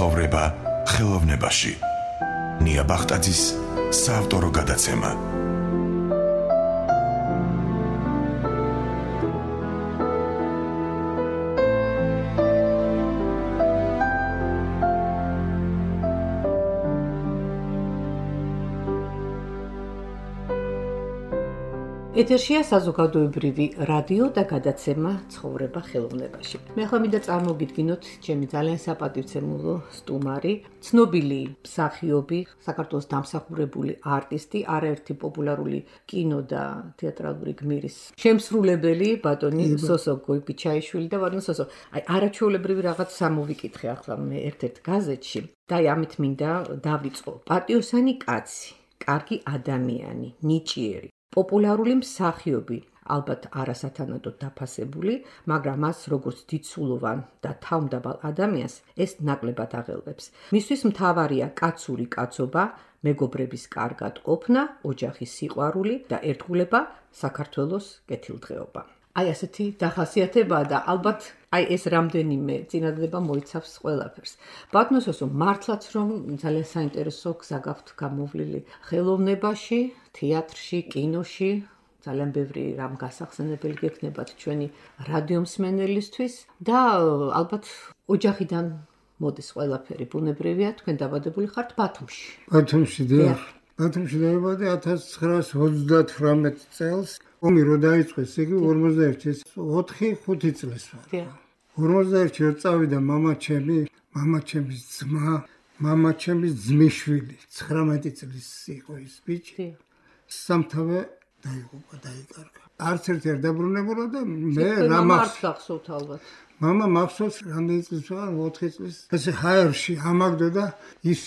ცხოვრება ხელოვნებაში. ნია ბახტაძის საავტორო გადაცემა. ეთერშია საზოგადოებრივი რადიო და გადაცემა ცხოვრება ხელოვნებაში. მე ახლა მინდა წარმოგიდგინოთ ჩემი ძალიან საპატივცემულო სტუმარი, ცნობილი მსახიობი, საქართველოს დამსახურებული არტისტი, არაერთი პოპულარული კინო და თეატრალური გმირის შემსრულებელი, ბატონი სოსო გოიბიჩაიშვილი და ბატონი სოსო. არაჩვეულებრივი რაღაც სამოვიკითხე ახლა მე ერთ-ერთ გაზეთში და ამით მინდა დავიწყო. პატიოსანი კაცი, კარგი ადამიანი, ნიჭიერი. პოპულარული მსახიობი, ალბათ არასათანადოდ დაფასებული, მაგრამ მას როგორც დიდსულოვან და თავმდაბალ ადამიანს ეს ნაკლებად აღელვებს. მისთვის მთავარია კაცური კაცობა, მეგობრების კარგად ყოფნა, ოჯახის სიყვარული და ერთგულება, საქართველოს კეთილდღეობა. აი ასეთი დახასიათებაა და ალბათ ეს რამდენიმე წინადადება მოიცავს ყველაფერს. ბატონო სოსო, მართლაც რომ ძალიან საინტერესო გზა გაქვთ გამოვლილი ხელოვნებაში, თეატრში, კინოში, ძალიან ბევრი რამ გასახსენებელი გექნებათ ჩვენი რადიომსმენელისთვის და ალბათ ოჯახიდან მოდის ყველაფერი, ბუნებრივია, თქვენ დაბადებული ხართ ბათუმში. ბათუმში დიახ. ბათუმში დაიბადე 1938 წელს. ომი რო დაიწყეს, იგი 41-ის 4-5 წელს ვარ. 41-ში რო წავიდა მამაჩემის ძმა, მამაჩემის ძმისშვილი, 19 წლის იყო ის ბიჭი. სამთავე დაიღუპა, დაიკარგა. არც ერთი არ დაბრუნებულა და მე რა მახსოვთ ალბათ. მამა მახსოვს რამდენი წლის ვარ, 4 წლის. ესე ჰაერში ამაგდო და ის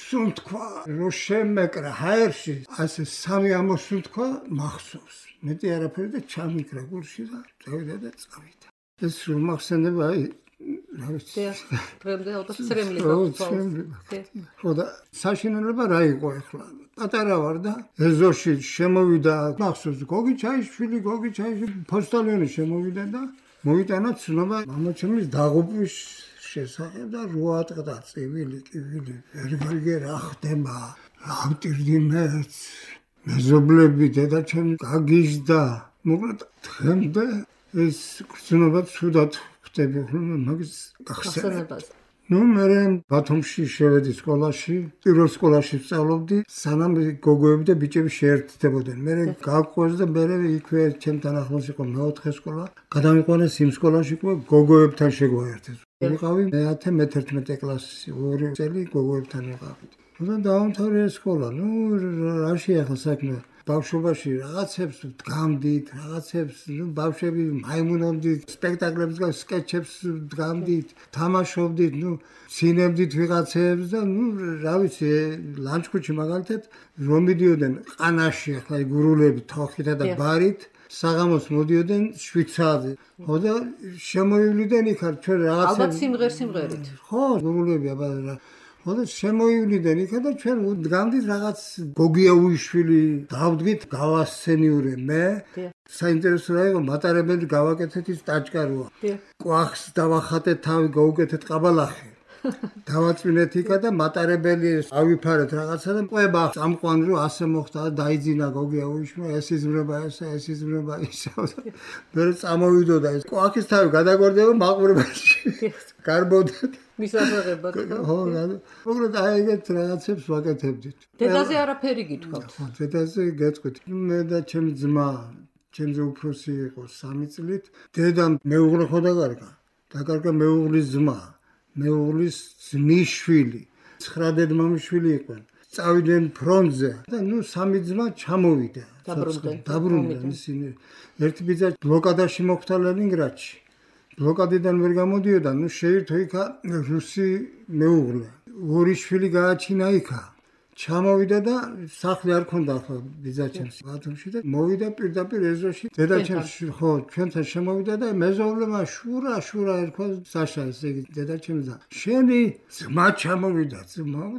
სულ თქვა, რო შემეკრა ჰაერში, ასე სამი ამოსულ თქვა, მახსოვს. მეტი არაფერი და ჩამიკრა გულში და წავიდა და წავიდა. ეს სულ მახსენდება, რა ვიცი. დღემდე ალბათ ცრემლი გაქვს. ხო და საშინელება რა იყო ახლა? პატარა ვარ და ეზოში შემოვიდა, მახსოვს გოგი ჩაიშვილი, ფოსტალიონი შემოვიდა და მოიტანა ცნობა მამაჩემის დაღუპვის შესახებ და რო ატყდა წივილი, ვერგარგე რა ხდება, ავტირდი მეც, მეზობლები დედაჩემი გაგიჟდა, მოკლედ დღემდე ეს გრძნობა ცუდად ხვდები, მაგის გახსენებას. მე ბათუმში შევედი სკოლაში, პირველ სკოლაში ვსწავლობდი, სანამ გოგოები და ბიჭები შეერთდებოდნენ. მე გავყვეს და მე იქვე ჩემთან ახლოს იყო მეოთხე სკოლა. გადამიყვანეს იმ სკოლაში, გოგოებთან შეგვაერთეს. ვიყავი მე-11 კლასში, 2 წელი გოგოებთან ვიყავით. და დაამთავრე სკოლა. რაში ახლა საქმე? ბავშვობაში რაღაცებს დგამდით, ბავშვები მაიმუნობდით, სპექტაკლებს და სკეჩებს დგამდით, თამაშობდით, ცინებდით ვიღაცებს და რა ვიცი, ლანჩხუთში მაგალითად რომ მიდიოდნენ ყანაში, ახლა გურულები თოხითა და ბარით, საღამოს მოდიოდნენ 7 საათზე. ხო და შემოივლიდან იქ ჩვენ რაღაცებს ალბათ სიმღერით. ხო, გურულები აბა და შემოივლიდან იქა და ჩვენ დგამდით რაღაც გოგიაუიშვილი დავდგით გავასცენიურე მე. საინტერესო რა იყო, მატარებელი გავაკეთეთ ის ტაჭკაროა. კვახს დავახატეთ თავი, გავუკეთეთ ყაბალახი. დავაწვინეთ იქა და მატარებელი ავიფარეთ რაღაცა და ყვება წამყვან რომ ასე მოხდა და დაიძინა გოგიაუიშვილმა, ეს იზმრება ისე. მე წამოვიდოდა ეს კვახის თავი გადაგვარდება მაყურებელში. გარბოდა მისაღებად. ხო, მოკლედ აი ეგეთ რაღაცებს ვაკეთებდით. დედაზე არაფერი გითხოვთ. ხო, დედაზე გეტყვით. მე და ჩემი ძმა, ჩემზე უფროსი იყო 3 წლით. დედამ მეუღლე ხო დაკარგა მეუღლის ძმა, მეუღლის ძმისშვილი, 9 დედმამიშვილი იყვნენ. წავიდნენ ფრონტზე და 3 ძმა ჩამოვიდა. დაბრუნდნენ ისინი. ერთი ბიძა ბლოკადაში მოხვდა ლენინგრადში. ბლოკადიდან ვერ გამოდიოდა, შეირთო იქა რუსი მეუღლე. 2 შვილი გააჩინა იქა. ჩამოვიდა და სახლი არ ქონდა ახლა ბიძაჩემს ბათუმში და მოვიდა პირდაპირ ეზოში. დედაჩემს ხო, ჩვენთან შემოვიდა და მეზობლებმა შურა ერქვა საშა, ესე იგი დედაჩემს და შენი ძმა ჩამოვიდა,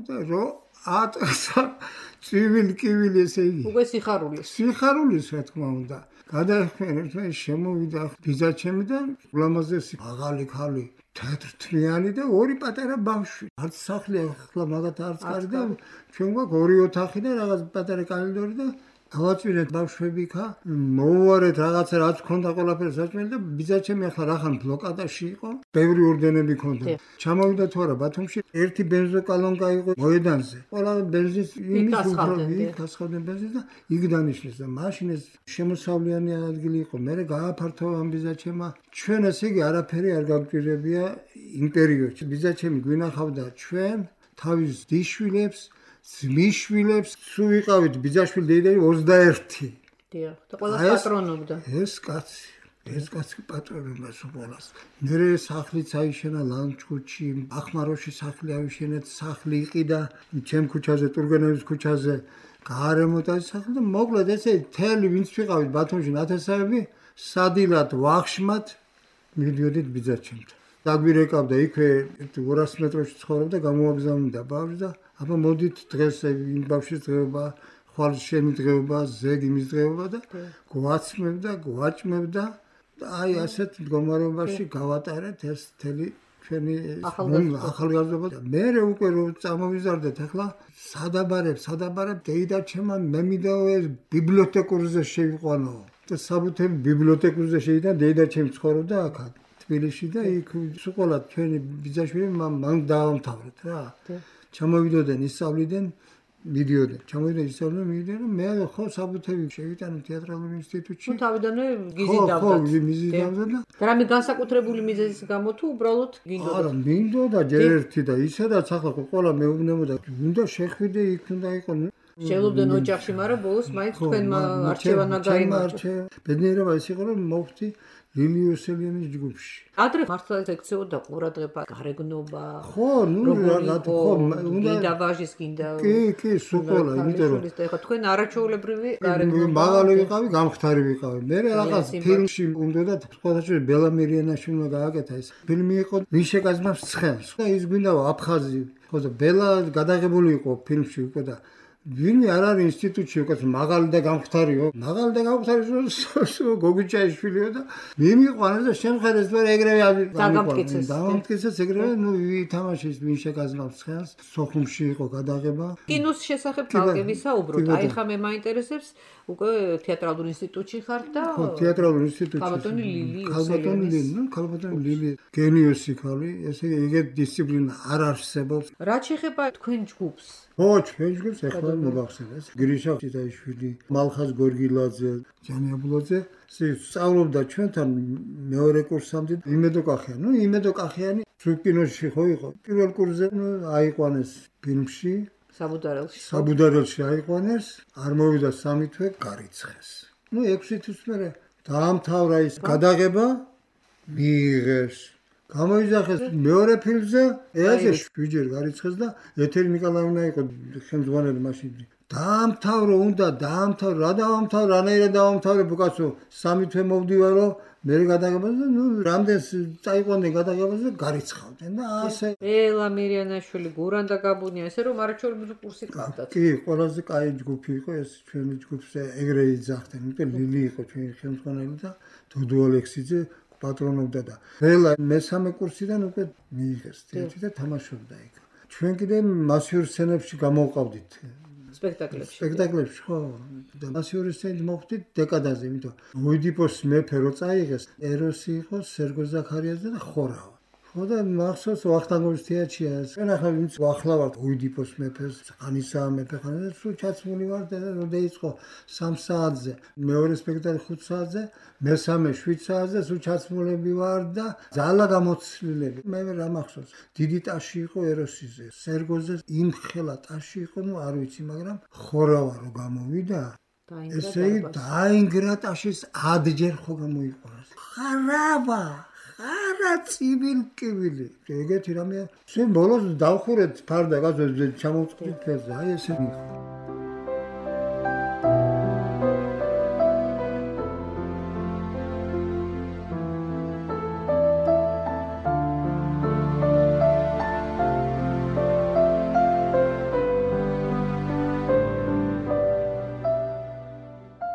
და რო ატყსა წივილი, ესე იგი. უკვე სიხარულის რა თქმა უნდა. გადაიხმენ ერთმანეთს შემოვიდა ბიძაჩემი და ულამაზესი მაღალი ქალი თეთრთლიანი და ორი პატარა ბავშვი. არც სახლი ახლა მაგათ არც კარი და ჩვენ გვაქვს ორი ოთახი და რაღაც პატარა კორიდორი და ავაწვირეთ ბავშვები ხა მოვუარეთ რაღაცა რაც ქონდა ყველაფერი საჭმელი და ბიძაჩემი ახლა რახან ბლოკადაში იყო ბევრი ორდენები ქონდა ჩამოვიდა თუ არა ბათუმში ერთი ბენზოკალონკა იყო მოედანზე ყველა ბენზინს იმის გასხავდნენ ბენზინს და იქ დანიშნეს და მაშინ ეს შემოსავლიანი ადგილი იყო მე გააფართო ამ ბიძაჩემა ჩვენ ესე იგი არაფერი არ გაგვჭირებია იმ პერიოდში ბიძაჩემი გვინახავდა ჩვენ თავის დიშვილებს მიშვილებს სულ ვიყავით ბიძაშვილი დეიდები 21. დიახ, და ყველა პატრონობდა. ეს კაცი პატრონობდა სულას. მერე სახლიც აიშენა ლანჩხუთში, ახმაროში სახლი ავიშენეთ, სახლი იყიდა ჩემ ქუჩაზე, ტურგენევის ქუჩაზე, გარემოთ აი სახლი და მოკლედ ესე თელი ვინც ვიყავით ბათუმში ნათესავები, სადილად ვახშმად მიდიოდით ბიძაჩემთან. დაგვირეკავდა იქვე 200 მეტრში ცხოვრობდა, გამოაგზავნიდა ბავშვი და აბა მოდით დღეს იმ ბავშვის დღეობა, ხვალ შენი დღეობა, ზეგი მის დღეობა და გვაცმევდა, გვაჭმევდა და აი ასეთ მდგომარეობაში გავატარეთ ეს თელი ჩვენი ახალგაზრდობა და მე უკვე რო წამოვიზარდეთ ახლა სადაბარებ დეიდაჩემა მე მიდაო ეს ბიბლიოთეკურზე შევიყვანო და საბუთები ბიბლიოთეკურზე შევიდა დეიდაჩემი ცხოვრობდა აქ თბილისში და იქ სულ ჩვენი ბიძაშვილი მან დაამთავრეთ რა ჩამოვიდოდნენ ისწავლიდან მიდიოდნენ მე ხო საბუთები შევიტანე თეატრალურ ინსტიტუტში თუ თავიდანვე გიზიდავდა და რამე განსაკუთრებული მიზეზის გამო თუ უბრალოდ გინდოდა არა მინდოდა ჯერ ერთი და ისედაც ახლა ყველა მეუბნებოდა უნდა შეხვიდე იქ უნდა იყო შევლობდნენ ოჯახში მაგრამ ბოლოს მაინც თქვენმა არჩევანა გაიმარჯვა ბედნიერება ის იყო რომ მოვხდი ლილიოსელიანის ჯგუფში. ადრე მართლა ექცეოდა ყურადღება, გარეგნობა. ხო, გინდა ვაჟის გინდა. კი, სულ იმიტომ რომ თქვენ არაჩვეულებრივი გარეგნობა. მაღალი ვიყავი, გამხდარი ვიყავი. მე რაღაც ფილმში უნდა სხვადასხვა ბელა მირიანაშვილმა გააკეთა ეს. ფილმი იყო ვინ შეკაზმავს ცხენს. და ის გვინდა აფხაზი. ხო და ბელა გადაღებული იყო ფილმში უკვე და ვინმე არ არის ინსტიტუტში უკეთ მაღალი და გამხდარიო მაღალი და გამხდარი გოგიჩაიშვილიო და მიმიყვანეს და შემხერეს და ეგრევე დამამტკიცეს ეგრევე ვითამაშეს ვინ შეგაზნავს ცხენს სოხუმში იყო გადაღება კინოს შესახებ თალკი ვისაუბროთ აი ხა მე მაინტერესებს უკვე თეატრალურ ინსტიტუტში ხარ და ხო თეატრალურ ინსტიტუტში ქალბატონი ლილი გენიოსი ქალი ესე იგი დისციპლინა არ არსებობს რა შეხება თქვენ ჯგუფს ხო ჩვენ ჯგუფს ახლა მოგახსენეს გრიშა ციტაიშვილი მალხაზ გორგილაძე ჯანიაბულაძე სწავლობდა ჩვენთან მეორე კურსამდე იმედო კახიანი სულ კინოში ხო იყო პირველ კურსზე აიყვანეს ფილმში საბუდარელში აიყვანეს არ მოვიდა 3 თვე გარიცხეს 6 თვის მერე დაამთავრა ის გადაღება მიიღეს გამოიძახეს მეორე ფილმზე ესე 7 ჯერ გარიცხეს და ეთერი ნიკოლაევნა იყო ხელმძღვანელი მაშინ დაამთავრო რა დაამთავრე რანაირად დაამთავრე ბუკაცო 3 თვე მოვდივარო მე გადაღებაზე რამდენს წაიყვანდნენ გადაღებაზე გარიცხავდნენ და ასე ელა მირიანაშვილი გურანდა გაბუნია ესე რომ არაჩვეულებრივი კურსი ყავდათ კი ყველაზე კაი ჯგუფი იყო ეს ჩვენი ჯგუფზე ეგრე იძახდნენ იმიტომ ლილი იყო ჩვენი ხელმძღვანელი და დოდო ალექსიძე პატრონობდა და ყველა მესამე კურსიდან უკვე მიიღეს თეატრი და თამაშობდა იქ. ჩვენ კიდე მასიურ სცენებში გამოვყავდით სპექტაკლებში ხო და მასიურ სცენით მოხვდით დეკადაზე, იმიტომ ოიდიპოს მეფე რო წაიღეს, ეროსი იყო, სერგო ზაქარიაძე და ხორავა. ხო და მახსოვს ვახტანგოვის თეატრია. ჩვენ ახლა ვინც ვახლავართ ოიდიპოს მეფეს, ყანისა მეფე ხან და სულ ჩაცმული ვარ და რო დაიწყო 3 საათზე, მეორე სპექტაკლი 5 საათზე, მესამე 7 საათზე სულ ჩაცმულები ვარ და ძალა გამოცდილები. მე რა მახსოვს, დიდი ტაში იყო ეროსიზე, სერგოზე იმხელა ტაში იყო, არ ვიცი, მაგრამ ხორავა რო გამოვიდა, ესე დაინგრა ტაშის 10 ჯერ ხო გამოიყურა. ხარავა არა ცივილკივილი ეგეთი რამე შენ ბოლოს დავხურეთ ფარდა გაზოზე ჩამოვწყდით ფერზე აი ესე მიხო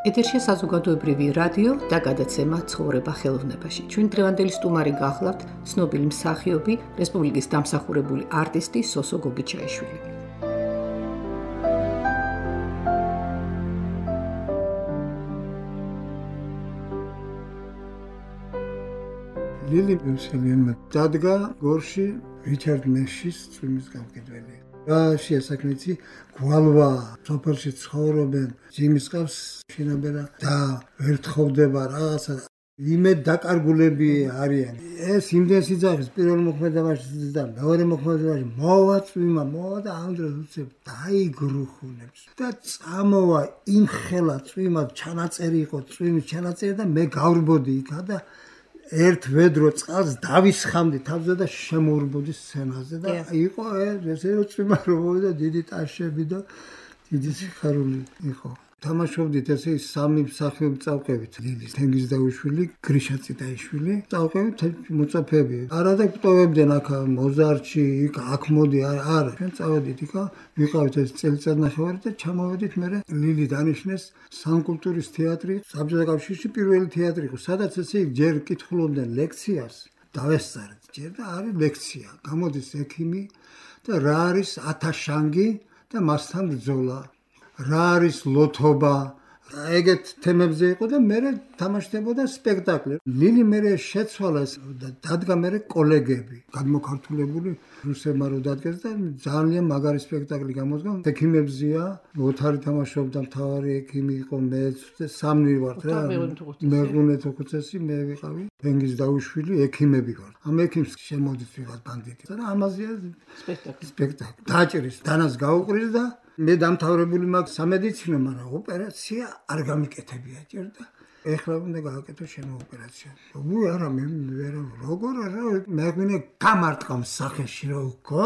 ეთერშია საზოგადოებრივი რადიო და გადაცემა ცხოვრება ხელოვნებაში. ჩვენ დღევანდელი სტუმარი გახლავთ ცნობილი მსახიობი, რესპუბლიკის დამსახურებული არტისტი სოსო გოგიჩაიშვილი. ლილი მუსელიანმა დადგა გორში რიჩარდ ნეშის წვიმის გამყიდველი. რა საქმეცი გვალვა სოფელში ცხოვრობენ ძიმის ყავს შინაბერა და ვერ თხოვდება რაღაცა იმედ დაკარგულები არიან. ეს იმდენს იძახის პირველ მოქმედებაში და მეორე მოქმედებაში მოვა წვიმა მოვა და ამ დროს უცებ დაიგრუხუნებს და წამოვა იმხელა წვიმა ჩანაწერი იყო წვიმის ჩანაწერი და მე გავრბოდი იქა და ერთ ვედრო წყალს დავისხამდი თავზე და შემოურბოდი სცენაზე და იყო ესე წვიმა რომ მოვიდა დიდი ტაშები და დიდი სიხარული იყო. თამაშობდით ესე სამი მსახიობი წავყევით ლილი თენგიზდაუშვილი, გრიშა წიტაიშვილი, წავყევით მოწაფეები. არა და გვტოვებდნენ აქ მოზარდში, იქ აქ მოდი არა. ჩვენ წავედით იქ, ვიყავით ეს წელიწადნახევარი და ჩამოვედით მე ლილი დანიშნეს სამკულტურის თეატრი, საბჭოთა კავშირში პირველი თეატრი იყო, სადაც ესე ჯერ კითხულობდნენ ლექციას, დავესწარეთ ჯერ და არის ლექცია. გამოდის ექიმი და რა არის ათაშანგი და მასთან ბრძოლა. რა არის ლოთობა ეგეთ თემებზე იყო და მე თამაშდებოდა სპექტაკლი. ლილი მე შეცვალა და დადგა მე კოლეგები გადმოქართულებული რუსებმა რო დადგეს და ძალიან მაგარი სპექტაკლი გამოდგა. ექიმებზია ოთარი თამაშობდა მთავარი ექიმი იყო მე სამნი ვართ რა მეღუნე თოქუცესი მე ვიყავი თენგიზდაუშვილი ექიმები ვართ. ამ ექიმს შემოდით ვიღაც ბანდიტი და ამაზეა სპექტაკლი დაჭრის დანას გაუყრის და მე დამთავრებული მაქვს სამედიცინო, მაგრამ ოპერაცია არ გამიკეთებია ჯერ და ეხლა უნდა გააკეთო შემო ოპერაცია. უ არა მე ვერ როგორ არა მეგვინე გამარტყამ სახეში რო ხო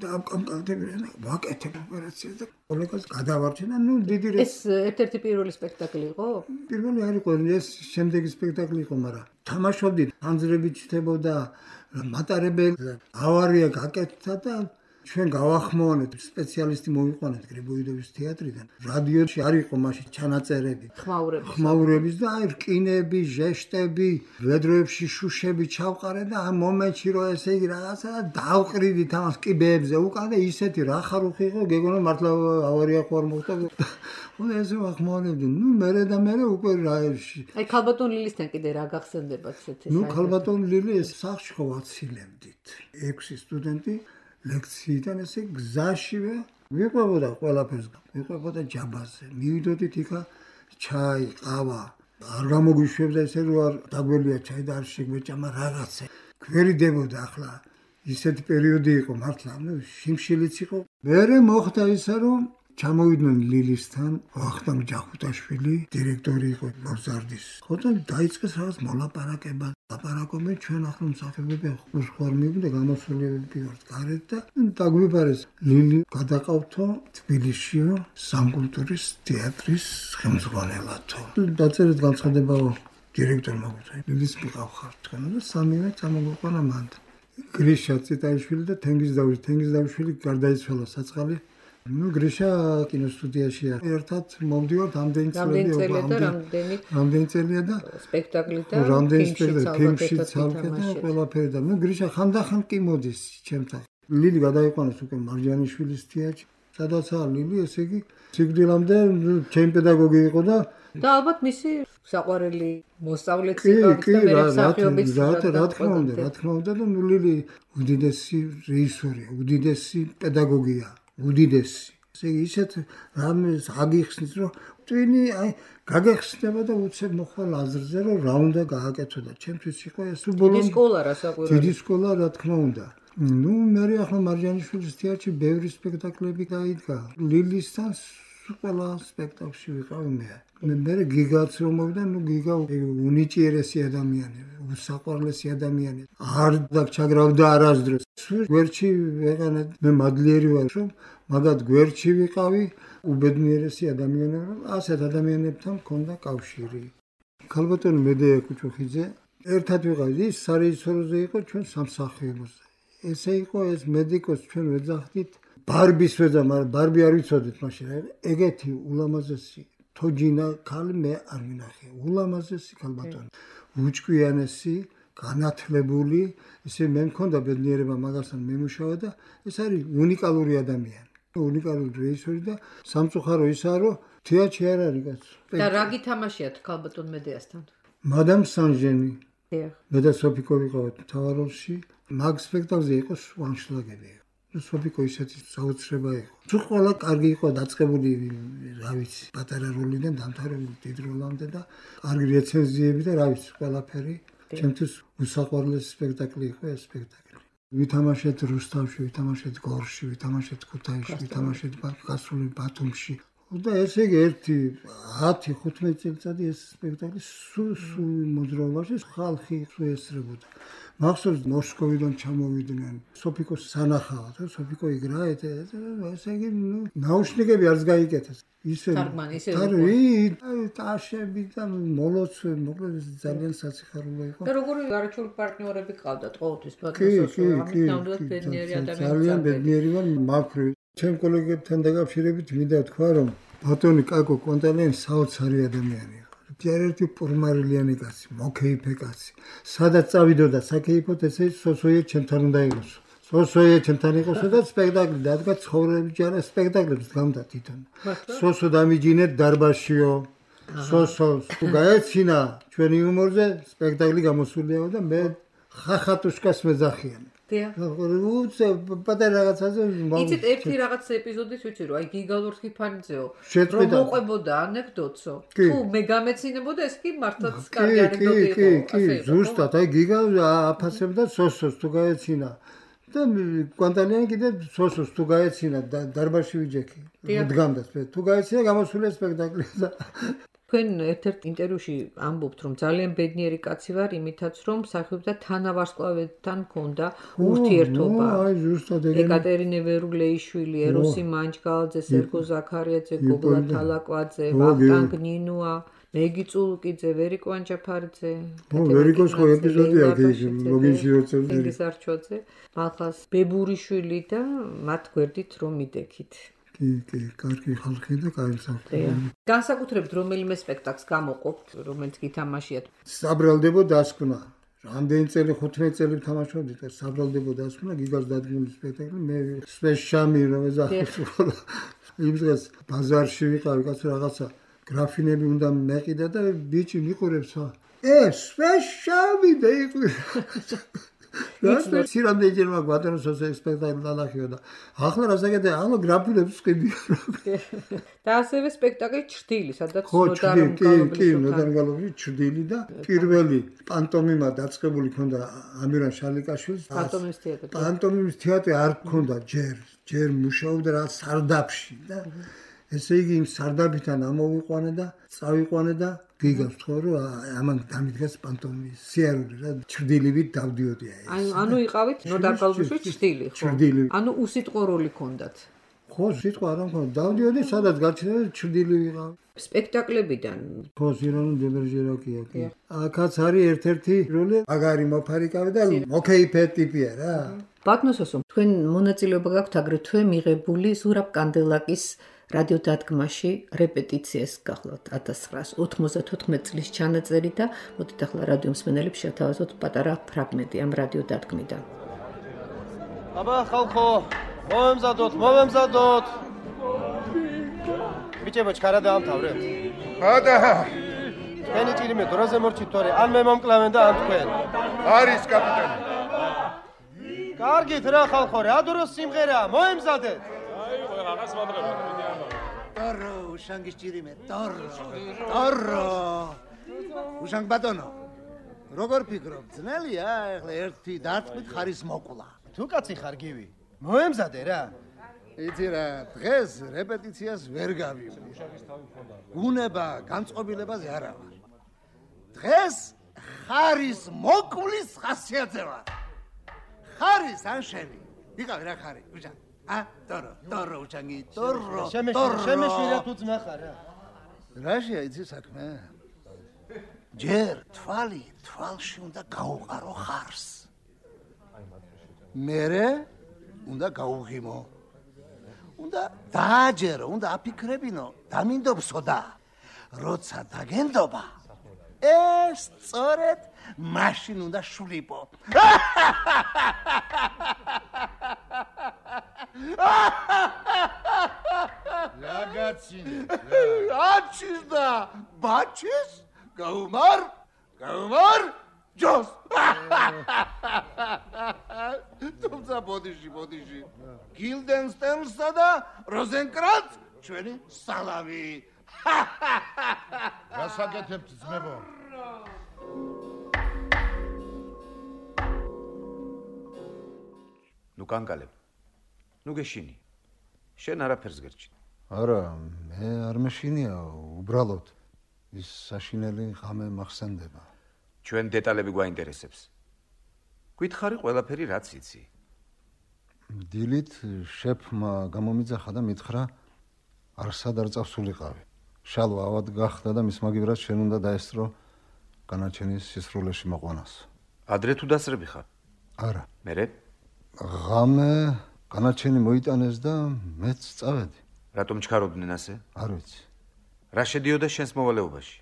და ამკამკავდებიან ვაკეთებ ოპერაციას და კოლეგას გადავარჩენა ნუ დიდი ეს ერთ-ერთი პირველი სპექტაკლი იყო? პირველი არ იყო ეს შემდეგი სპექტაკლი იყო, მაგრამ თამაშობდით ანძრებით ჩდებოდა მატარებელი ავარია გაკეთდა და ჩვენ გავახმოვანეთ სპეციალისტი მოვიყვანეთ გრიბოიდოვის თეატრიდან. რადიოში არ იყო მაშინ ჩანაწერები ხმაურების და აი რკინები, ჟეშტები, ვედროებში შუშები ჩავყარე და ამ მომენტში რო ესე იგი რაღაცა დავყრიდით ამას კიბეებზე უკან და ისეთი რა ხარუხი იყო გეგონა მართლა ავარია ხო არ მოხდა. უნდა ესე ვახმოვანებდი. ნუ მერე და მერე უკვე რაერში. აი ქალბატონ ლილისთან კიდე რა გახსენდებათ ესეთი? ნუ ქალბატონ ლილი ეს სახში ხო ვაცილებდით. 6 სტუდენტი ლექციიდან ესე გზაშივე ვიყვებოდა ყველაფერს, ვიყვებოდა ჯაბაზე. მივიდოდით იქა ჩაი, ყავა. არ გამოგვიშვებდა ესე რომ არ დაგველია ჩაი და არ შეგვეჭამა რაღაცა. გვერიდებოდა ახლა ისეთი პერიოდი იყო მართლა, ნუ შიმშილიც იყო. მერე მოხდა ისა რომ ჩამოვიდნენ ლილისთან ვახტანგ ჯახუტაშვილი, დირექტორი იყო მოზარდის. ხო და დაიწყეს რაღაც მოლაპარაკება. ლაპარაკობენ ჩვენ ახლა მსახიობები ხوار მივიდა გამოსულიებები ვართ გარეთ და დაგვიბარეს ლილი გადაყავთო თბილისშიო სამკულტურის თეატრის ხელმძღვანელათო. დაწერეთ განცხადებაო დირექტორმა მოგვიწია ლილის მიყავხარ თქვენ და სამივე წამოგვიყვანა მანდ. გრიშა წიტაიშვილი და თენგიზდაუშვილი გარდაიცვალა საწყალი. ნუ გრიშა კინოსტუდიაშია. ერთად მოვდივართ ამდენი წელია და სპექტაკლი და ფილმში ცალკე და ყველაფერი და ნუ გრიშა ხანდახან კი მოდის ჩემთან. ლილი გადაიყვანეს უკვე მარჯანიშვილის თეატრში. სადაცაა ლილი ესე იგი სიკვდილამდე ჩემი პედაგოგი იყო და ალბათ მისი საყვარელი მოსწავლეც იყო და მსახიობიც. რა თქმა უნდა და ნუ ლილი უდიდესი რეჟისორია, უდიდესი პედაგოგია. უდიდესი. ისეთ რამეს აგიხსნის რომ ტვინი აი გაგეხსნება და უცებ მოხვალ აზრზე რომ რა უნდა გააკეთო და ჩემთვის იყო ეს დიდი სკოლა რასაკვირველია. დიდი სკოლა რა თქმა უნდა. ნუ მე ახლა მარჯანიშვილის თეატრში ბევრი სპექტაკლები გაიდგა. ლილისთან ყველა სპექტაკლში ვიყავი მე. მე გიგაც რომ მოვიდა, ნუ გიგა უნიჭიერესი ადამიანი, უსაყვარლესი ადამიანი. არ დაგჩაგრავდა არასდროს. გვერდში ვეყანე მე მადლიერი ვარ რომ მაგათ გვერდში ვიყავი, უბედნიერესი ადამიანები, რომ ასეთ ადამიანებთან მქონდა კავშირი. ქალბატონი მედეა კუჩუხიძე ერთად ვიყავით, ის სარეჟისოროზე იყო ჩვენ სამსახიობოზე. ესე იყო ეს მედიკოს ჩვენ ვეძახდით ბარბის ვეძა, მაგრამ ბარბი არ ვიცოდით მაშინ. ეგეთი ულამაზესი თოჯინა ქალი მე არ მინახე. ულამაზესი ქალბატონი. უჭკვიანესი, განათლებული, ესე მე მქონდა ბედნიერება მაგასთან მემუშავა და ეს არის უნიკალური ადამიანი. უნიკალური რეჟისორი და სამწუხარო ისაა, რომ თეატრში არ არის კაცო. და რა გითამაშიათ ქალბატონ მედეასთან? მადამ სანჟენი. დიახ. მე და სოფიკო ვიყავით მთავარ როლში. მაგ სპექტაკლზე იყო ვანშლაგები. სოფიკო ისეთი საოცრება იყო. თუ ყველა კარგი იყო დაწყებული, რა ვიცი, პატარა როლიდან დამთავრებული დიდ როლამდე და კარგი რეცენზიები და რა ვიცი, ყველაფერი. ჩემთვის უსაყვარლესი სპექტაკლი იყო ეს სპექტაკლი. ვითამაშეთ რუსთავში, ვითამაშეთ გორში, ვითამაშეთ ქუთაისში, ვითამაშეთ გასული ბათუმში. და ესე იგი 10-15 წელიწადი ეს სპექტაკლი სულ მოძრაობაში ხალხი ესწრებოდა. მახსოვს მოსკოვიდან ჩამოვიდნენ სოფიკოს სანახავად, სოფიკო იგრა ესე იგი ნაუშნიკები არც გაიკეთეს. ისე ტაშები და მოლოცვე, მოკლედ ძალიან საციხარულო იყო. და როგორი არაჩვეული პარტნიორები ყავდათ ყოველთვის ბატონსო, ამით ნამდვილად ბედნიერი ადამიანი. ძალიან ბედნიერი ვარ მაფრი. ჩემ კოლეგებთან დაკავშირებით მინდა თქვა, რომ ბატონი კაკო კონტალიანი საოცარი ადამიანია. ერთ-ერთი პორმარილიანი კაცი, მოკეიფე კაცი. სადაც წავიდოდა საკეიფოთ, ესე სოსოია ჩემთან უნდა იყოს. სოსოია ჩემთან იყოსო და სპექტაკლი დადგა ცხოვრების ჯარა სპექტაკლებს გამდა თვითონ. სოსო დამიჯინეთ დარბაშიო. სოსოს თუ გაეცინა ჩვენი იუმორზე სპექტაკლი გამოსულიაო და მე ხახატუშკას მეძახიან. უცე პატარა რაღაცაზე იცით ერთი რაღაც ეპიზოდის ვიცი რომ აი გიგალურ ხიფანიძეო რომ მოყვებოდა ანეკდოტსო თუ მე გამეცინებოდა ეს კი მართლაც კარგი ანეკდოტი იყო კი ზუსტად აი გიგალ აფასებდა სოსოს თუ გაეცინა და კონტალიანი კიდე სოსოს თუ გაეცინა დარბაში ვიჯექი დგამდა თუ გაეცინა გამოსულია სპექტაკლი და თქვენ ერთ-ერთ ინტერვიუში ამბობთ, რომ ძალიან ბედნიერი კაცი ვარ, იმითაც რომ მსახიობთა თანავარსკვლავედთან მქონდა ურთიერთობა. აი, ზუსტად ეგრე. ეკატერინე ვერულეიშვილი, ეროსი მანჯგალაძე, სერგო ზაქარიაძე, გოგლა თალაკვაძე, ვახტანგ ნინუა, მეგი წულუკიძე, ვერიკო ანჯაფარიძე. ვერიკოს ხო ეპიზოდია ის ლოგინში როცევდა. ინგის არჩოძე, მალხას ბებურიშვილი და მათ გვერდით რომ მიდექით. კი, კარგი ხალხი და კარგი სახე. განსაკუთრებით რომელიმე სპექტაკლს გამოყოფთ, რომელიც გითამაშიათ? საბრალდებო დასკვნა. რამდენი წელი 15 წელი ვთამაშობდი და საბრალდებო დასკვნა გიგას დადგმული სპექტაკლი. მე სპეშამი რომ ეძახო. იმ დღეს ბაზარში ვიყავი, კაცო რაღაცა გრაფინები უნდა მეყიდა და ბიჭი მიყურებს. სპეშამი და იყო. და სირამდე ჯერმა გვატონოს სპექტაკლი დანახიო და ახლა რასაკეთე ახლა გრაფინებს ვყიდია და ასევე სპექტაკლი ჩრდილი სადაც ნოდარგალოვი ჩრდილი და პირველი პანტომიმა დაწყებული ქონდა ამირან შალიკაშვილის პანტომიმის თეატრი არ ქონდა ჯერ მუშაობდა რა სარდაფში და ესე იგი იმ სარდაფიდან ამოვიყვანე და წავიყვანე და გიგავს თქო რომ ამან დამიდგას პანტომიმის სიარული რა ჩრდილივით დავდიოდი აი ანუ იყავით ნოდარგალოვში ჩრდილი ხო ანუ უსიტყვო როლი ქონდათ ხო სიტყვა არ მქონდა დავდიოდი სადაც გაჩნდა ჩრდილი ვიყავ სპექტაკლებიდან ხო სირონი დებერჟერაკია კი აქაც არის ერთ-ერთი როლი მაგარი მოფარიკავი და მოკეიფე ტიპია რა ბატონოსო თქვენ მონაწილეობა გაქვთ აგრეთვე მიღებული ზურაბ კანდელაკის რადიო დადგმაში რეპეტიციას გახლავთ 1994 წლის ჩანაწერი და მოდით ახლა რადიო მსმენელებს შევთავაზოთ პატარა ფრაგმენტი ამ რადიო დადგმიდან. აბა ხალხო, მოვემზადოთ. ბიჭებო, ჩქარა დაამთავრეთ. ხადა. თქვენი ჭირიმე დროზე მორჩით თორე, ან მე მომკლავენ და ან თქვენ. არის კაპიტანი. კარგით რა ხალხო, რა დროს სიმღერაა, მოემზადეთ. რაღაც მომდრება. Torro, უშანგის ჭირიმე, torro. უშანგ ბატონო. როგორ ფიქრობ, ძნელია ახლა ერთი დარტყმით ხარის მოკვლა. თუ კაცი ხარ გივი, მოემზადე რა. იცი რა, დღეს რეპეტიციას ვერ გავივლი. უნება განწყობილებაზე არა ვარ. დღეს ხარის მოკვლის ხასიათზე ვარ. ხარის ან შენი. ვიყავი რა ხარი, უშანგ. Torro, უშანგი, torro. შემეშვირა თუ ძმა ხარ რა. რაშია იცი საქმე? ჯერ თვალში უნდა გაუყარო ხარს. მერე უნდა გაუღიმო. უნდა დააჯერო, უნდა აფიქრებინო, დამინდობსო და როცა დაგენდობა, ეს სწორედ მაშინ უნდა შვლიპო. Ragazzi, აჩის და ბაჩის გაუმარ ჯოს. თუმცა ბოდიში გილდენსტერნსა და როზენკრანც ჩვენი სალამი. გასაკეთებთ ძმებო. ნუ კანკალებ. ნუ გეშინი. შენ არაფერს გერჩი. არა, მე არ მეშინია, უბრალოდ ის საშინელი ღამე მახსენდება. ჩვენ დეტალები გვაინტერესებს. გითხარი ყველაფერი რაც იცი. დილით შეფმა გამომიძახა და მითხრა არსად არ წავსულიყავი. შალვა ავად გახდა და მის მაგივრად შენ უნდა დაესწრო განაჩენის სისრულეში მოყვანას. ადრე თუ დასრები ხარ? არა. მერე? ღამე განაჩენი მოიტანეს და მეც წავედი. რატომ ჩქარობდნენ ასე? არ ვიცი. რა შედიოდა შენს მოვალეობაში?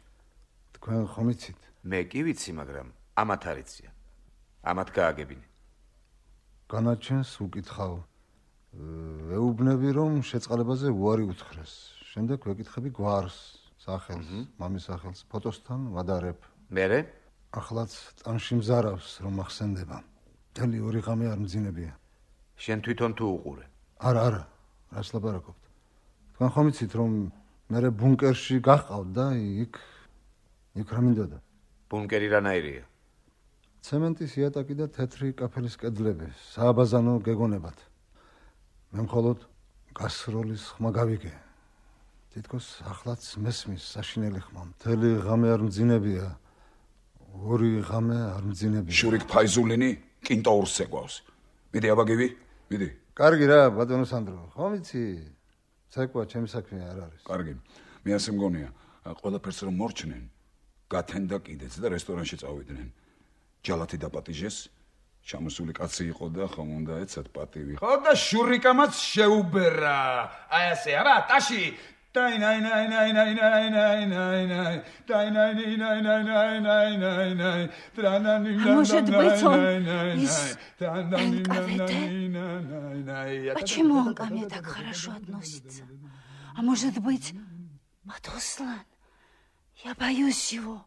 თქვენ ხომ იცით? მე კი ვიცი, მაგრამ ამათ არ იციან. ამათ გააგებინე. განაჩენს უკითხავ. ეუბნები რომ შეწყალებაზე უარი უთხრეს. შემდეგ ვეკითხები გვარს, სახელს, მამის სახელს, ფოტოსთან ვადარებ. მერე? ახლაც ტანში მზარავს რომ ახსენდება. მთელი ორი ღამე არ მძინებია. შენ თვითონ თუ უყურე? არა, რას ლაპარაკობთ? თქვენ ხომ იცით რომ მე ბუნკერში გაყავთ და იქ რა მინდოდა? ბუნკერი რანაირია? ცემენტის იატაკი და თეთრი კაფელის კედლები, სააბაზანო გეგონებათ. მე მხოლოდ გასროლის ხმა გავიგე. თითქოს ახლაც მესმის საშინელი ხმა. მთელი ღამე არ მძინებია. ორი ღამე არ მძინებია. შურიკ ფაიზულინი კინტოურს ეგვავს. მიდი აბაგივი, მიდი. კარგი რა, ბატონო სანდრო, ხომ იცი? ცეკვა ჩემი საქმე არ არის. კარგი. მე ასე მგონია, ყველაფერს რომ მორჩნენ, გათენ და კიდეც და რესტორანში წავიდნენ. ჯალათი დაპატიჟეს, ჩამოსული კაცი იყო და ხომ უნდა ეცათ პატივი. ხო და შურიკამაც შეუბერა. აი ასე არა, ტაში. Может быть, он из НКВД? Почему он ко мне так хорошо относится? А может быть, Матуслан? Я боюсь его.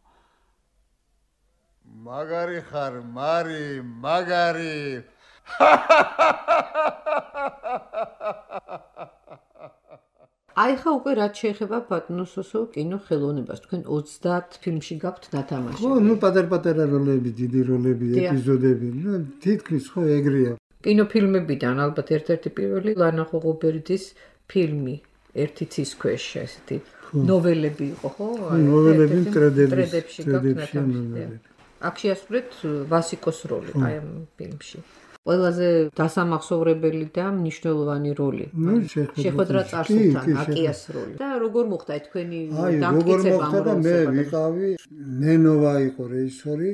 Მაგარი ხარ, მარი, მაგარი. აი ხა უკვე რაც შეეხება ბატონო სოსო კინო ხელოვნებას, თქვენ 30 ფილმში გაქვთ დათამაში. ხო, ნუ პატარ-პატარა როლები, დიდი როლები, ეპიზოდები, ნუ თითქმის ხო ეგრეა. კინოფილმებიდან ალბათ ერთ-ერთი პირველი ლანა ხოღობერდის ფილმი ერთი ცის ქვეშ ესეთი ნოველები იყო, ხო? ნოველები ტრედებში გაქვთ. აქ შეასრულეთ ვასიკოს როლი აი ამ ფილმში. ყველაზე დასამახსოვრებელი და მნიშვნელოვანი როლი. შეხვედრა წარსულთან აკიას როლი. და როგორ მოხდა თქვენი დამტკიცება ამ როლზე? მე ვიყავი, ნენოვა იყო რეჟისორი,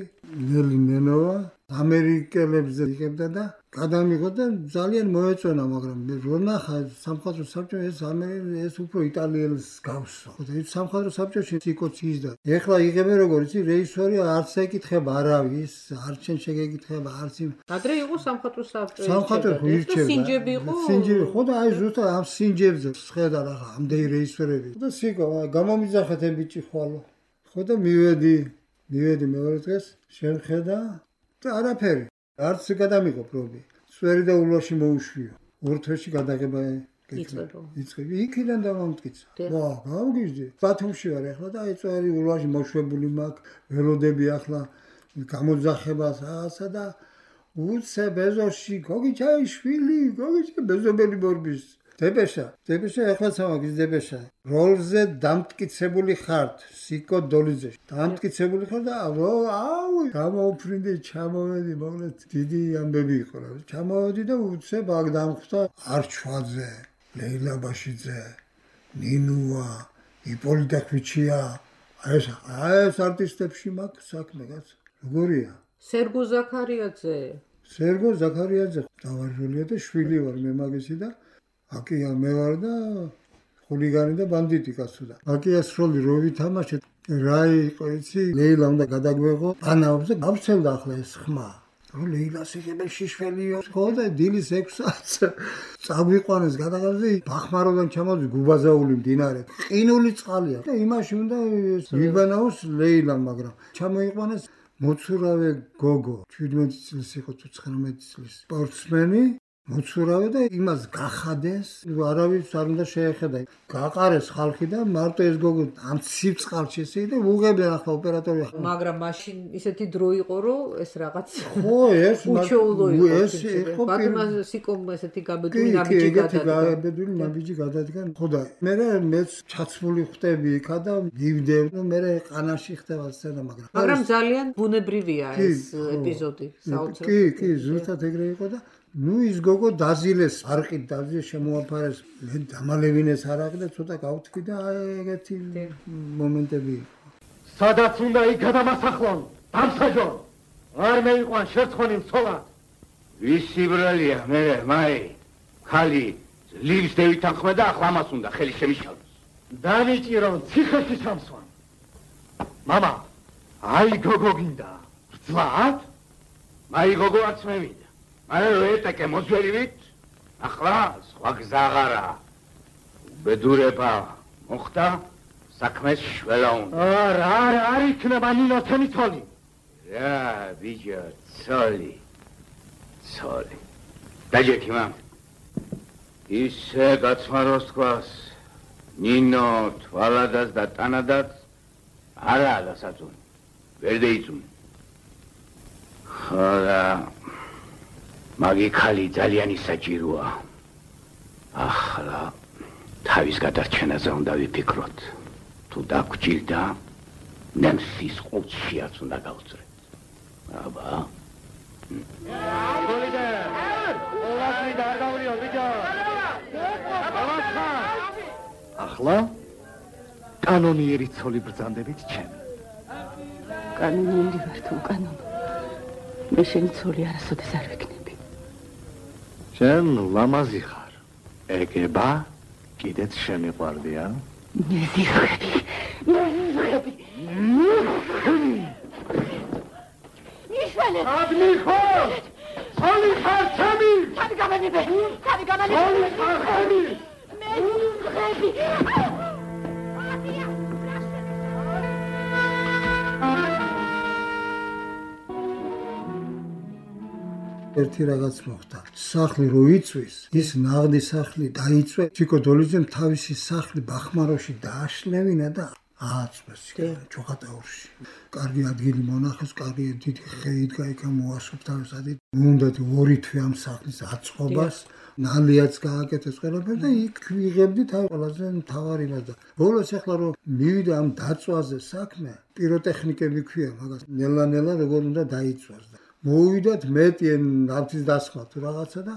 ნელი ნენოვა, ამერიკელებზე იღებდა და გადამიღო და ძალიან მოეწონა, მაგრამ მე რო ნახა სამხატვრო საბჭო ეს უფრო იტალიელს გავსო. ხო და ის სამხატვრო საბჭოში ციკოცის და ეხლა იღებენ როგორ იცი რეჟისორი არც ეკითხება არავის, არც შენ შეგეკითხება, არც იმ ადრე იყო სამხატვრო საბჭო. სამხატვრო ირჩევდა. სინჯები იყო. სინჯები ხო და აი ზუსტად ამ სინჯებზე ხედა რა ამდენი რეჟისორები. და სიკო გამომიძახეთ ამ ბიჭი ხვალო. ხო და მივედი მეორე დღეს შემხედა და არაფერი. არც გადამიღო პრობი. სვერი და ულვაში მოუშვიო. ორთვეში გადაღება იწყება. იქიდან დავამტკიცა. ვა, გავგიჟდი. ბათუმში ვარ ახლა და აი წვერი ულვაში მოშვებული მაქვს. ველოდები ახლა გამოძახებას ასა და უცე ბეზოში გოგიჩაიშვილი, ბეზობელი ბორბის. დებეშა ახლა სამაგის დებეშა. როლზე დამტკიცებული ხართ, სიკო დოლიძე. დამტკიცებული ხარ და აუ, გამოუფრინდი, ჩამოვედი, მოკლედ დიდი ამბები იყო რა. ჩამოვედი და უცე ბაგ დამხვდა არჩვაძე, ლეილა ბაშიძე, ნინუა, იპოლიტა ხვიჩია. ეს არტისტებში მაქვს საქმე კაც. როგორია? სერგო ზაქარიაძე. დავარժულია და შვილი ვარ მე მაგისი და აკია მე ვარ და ხულიგანი და ბანდიტი კაცო და აკიას როლი რო ვითამაშეთ რა იყო იცი ლეილა უნდა გადაგვეღო ანაობს და გავცელდა ახლა ეს ხმა რომ ლეილას იღებენ შიშველიო ხო და დილის 6 საათს წაგვიყვანეს გადაღებზე ბახმაროდან ჩამოვიდეს გუბაზაული მდინარე ყინული წყალია და იმაში უნდა ვიბანაოს ლეილა მაგრამ ჩამოიყვანეს მოცურავე გოგო 17 წლის იყო თუ 19 წლის სპორტსმენი მოცურავე და იმას გახადეს არავის არ უნდა შეეხედა გაყარეს ხალხი და მარტო ეს გოგო ამ ცივწყალში ესე და უღებდნენ ახლა ოპერატორი მაგრამ მაშინ ისეთი დრო იყო რომ ეს რაღაც ხო ეს უჩვეულო იყო ეს იყო ბატონმა სიკომ ესეთი გაბედული ნაბიჯი გადადგა ხო და მეც ჩაცმული ხტები იქა და მივდევ და მე ყანაში ხდება სცენა მაგრამ ძალიან ბუნებრივია ეს ეპიზოდი საოცრად კი ზუსტად ეგრე იყო და ნუ ის გოგო დაზილეს არყით დაზილეს შემოაფარეს მე დამალევინეს არაყი და ცოტა გავთქვი და ეგეთი მომენტები სადაც უნდა იქ გადამასახლონ დამსაჯონ არ მეიყვან შერცხონი მცოლად ვისი ბრალია მე მაი ხალი ძლივს დევითანხმე და ახლა მას უნდა ხელი შემიშალოს დამიჭირო ციხეში სამსვან მამა აი გოგო გინდა ბრძლად მაი გოგო არც მე მინდა მაგრამ რო ეტაკე მოძველივით ახლა სხვა გზა აღარა ბედურება მოხდა საქმეს შველა უნდა არ იქნება ნინო თემი ცოლი რა ბიჭო ცოლი დაჯექი მამ ისე გაცმაროს თქვას ნინო თვალადაც და ტანადაც არაა დასაწუნი ვერ დაიწუნი ხოდა მაგი ხალი ძალიან ისაჭიროა ახლა თავის გადარჩენაზე უნდა ვიფიქროთ თუ დაგჭირდა ნემსის ყუთშიაც უნდა გავწრეთ აბა ახლა კანონიერი ცოლი ბრძანდებით ჩემი კანონიერი ვარ თუ კანონო მე შენი ცოლი არასოდეს არ ვიქნები შენ ლამაზი ხარ ეგება კიდეც შემიყვარდია მეზიღები მიშველე ადმი ხო ცოლი ხარ ჩემი ხარი გამანებე ცოლი ხარ ჩემი მეზიღები ერთი რაღაც მოხდა. სახლი რო იწვის, ის ნაღდი სახლი დაიწვე. ჩიკო დოლიძემ თავისი სახლი ბახმაროში დააშლევინა და ააწვეს ჩოხატაურში. კარგი ადგილი მონახეს, კარგი დიდი ხე იდგა იქა მოასწრაფ თავისადი. უნდათ ორი თვე ამ სახლის აწყობას. ნალიაც გააკეთეს ყველაფერი და იქ ვიღებდით აი ყველაზე მთავარი მასა. ბოლოს ახლა რომ მივიდა ამ დაწვაზე საქმე, პიროტექნიკები ქვია მაგას. ნელა-ნელა როგორ უნდა დაიწვას და მოვიდათ მეტი ნავთის დასხმა თუ რაღაცა და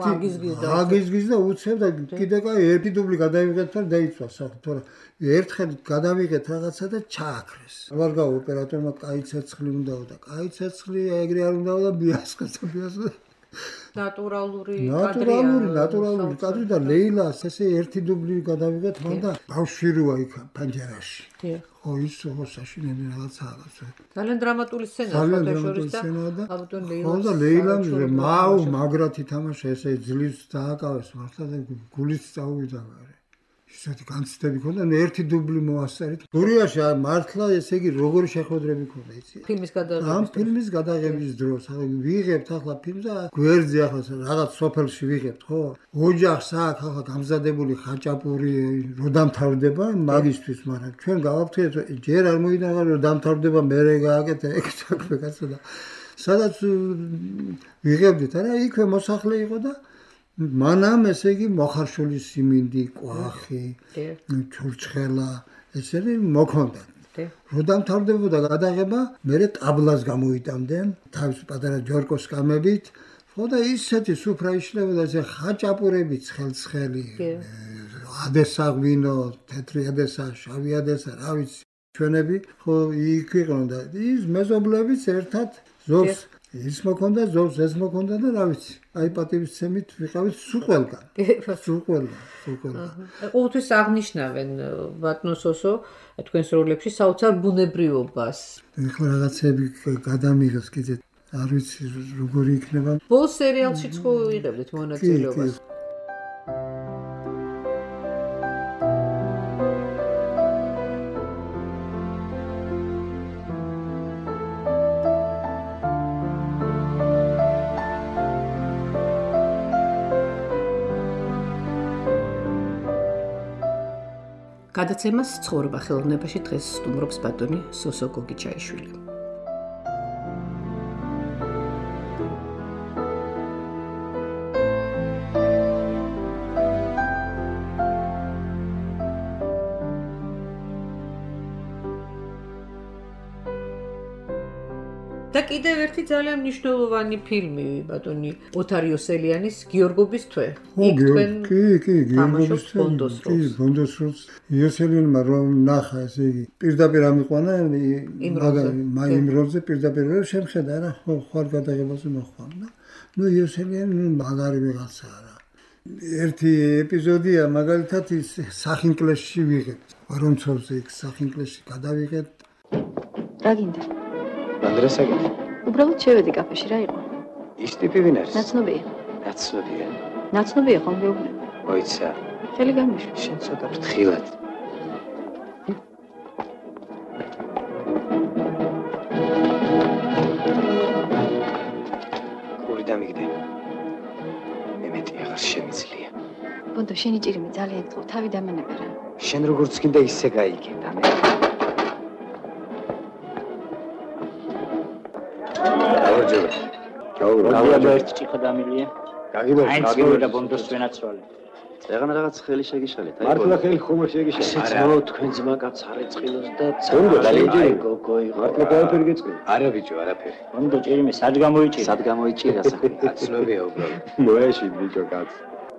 აგიზგიზ და უცებ და კიდე კაი ერთი დუბლი გადავიღეთ და დაიწვა სახე თორე ერთხელ გადავიღეთ რაღაცა და ჩააქრეს აღარ გავა ოპერატორმა კაი ცეცხლი უნდაო და კაი ცეცხლი ეგრე არ უნდაო და ბიასკოცა ნატურალური კადრი და ლეილას ესე ერთი დუბლი გადავიღეთ მან და ბავშვი იქ ფანჯერაში ხო ის საშინელი რაღაცაა ძალიან დრამატული სცენაა და ხო და ლეილამ მაუ მაგრად ითამაშა ესე ძლივს დააკავეს მართლა და გულიც წაუვიდა ისეთი განცდები ქონდა ერთი დუბლი მოასწარით გურიაში მართლა ესე იგი როგორი შეხვედრები ქონდა იცი ფილმის გადაღების დროს ვიღებთ ახლა ფილმს და გვერდზე ახლა რაღაც სოფელში ვიღებთ ხო ოჯახს აქ ახლა გამზადებული ხაჭაპური რო დამთავრდება მაგისტვის მაგრამ ჩვენ გავაფრთხილეთ ჯერ არ მოიდგა რომ დამთავრდება მერე გააკეთე ეგ საქმე კაცო და სადაც ვიღებდით არა იქვე მოსახლე იყო და მანამ ესე იგი მოხარშული სიმინდი, კვახი, ჩურჩხელა, ესენი მოქონდა. რო დამთავრდებოდა გადაღება, მერე ტაბლას გამოიტანდნენ, თავის პატარა ჯორკოს კამებით, ხო და ისეთი სუფრა იშლებოდა, ესე ხაჭაპურები ცხელ-ცხელი, ადესა ღვინო, თეთრი ადესა, შავი ადესა, რა ვიცი, ჩვენები, ხო იქ იყვნენ და ის მეზობლებიც ერთად ზოგს ის მოქონდა ზოლს, ეს მოქონდა და რა ვიცი. აი პატივისცემით ვიყავით სულ ყველგან. სულ ყველგან. ყოველთვის აღნიშნავენ ბატონო სოსო თქვენს როლებში საოცარ ბუნებრიობას. ეხლა რაღაცები გადამიღეს კიდე არ ვიცი როგორი იქნება. ბოლ სერიალშიც ხო იღებდით მონაწილეობას? გადაცემას ცხოვრება ხელოვნებაში დღეს სტუმრობს ბატონი სოსო გოგიჩაიშვილი. და კიდევ ერთი ძალიან მნიშვნელოვანი ფილმი ბატონი ოთარ იოსელიანის გიორგობის თვე. იქ თქვენ გიორგობის თვე. ბონდოს როლს იოსელიანმა რომ ნახა ესე იგი პირდაპირ ამიყვანა იმ როლზე პირდაპირ შემხედა რა ხარ გადაღებაზე მოხვდა. ნუ იოსელიანი მაგარი ვიღაცა რა. ერთი ეპიზოდია მაგალითად ის სახინკლეში ვიღებთ. ვარონცოვზე იქ სახინკლეში გადავიღეთ. რა გინდა? ანდრესაგით. უბრალოდ შევედი კაფეში რა იყო? ის ტიპი ვინ არის? ნაცნობია. ნაცნობია. ნაცნობია ხომ გეუბნები? მოიცა. ხელი გამიშვა. შენ ცოტა ფრთხილად. კური დამიგდე. მემეტი აღარ შემიძლია. ბონდო შენი ჭირიმე ძალიან გწყო, თავი დამენებე რა. შენ როგორც გინდა ისე გაიგე და მე გავიგე ერთი ჭიქა დამილია. გაგიბერდა ბონდოს ვენაცვალე. წეგან რაღაც ხელი შეგიშალეთ. მართლა ხელი ხომ შეგიშალეთ. ძმაო თქვენ ძმა კაც არ ეწყინოს და აი გოგო მართლა ყველაფერი გეწყინა. არა ბიჭო, არაფერი. ბონდო ჭირიმე სად გამოიჭირა? სად გამოიჭირა სახე? აცნობია უბრალოდ. მოეში ბიჭო კაც.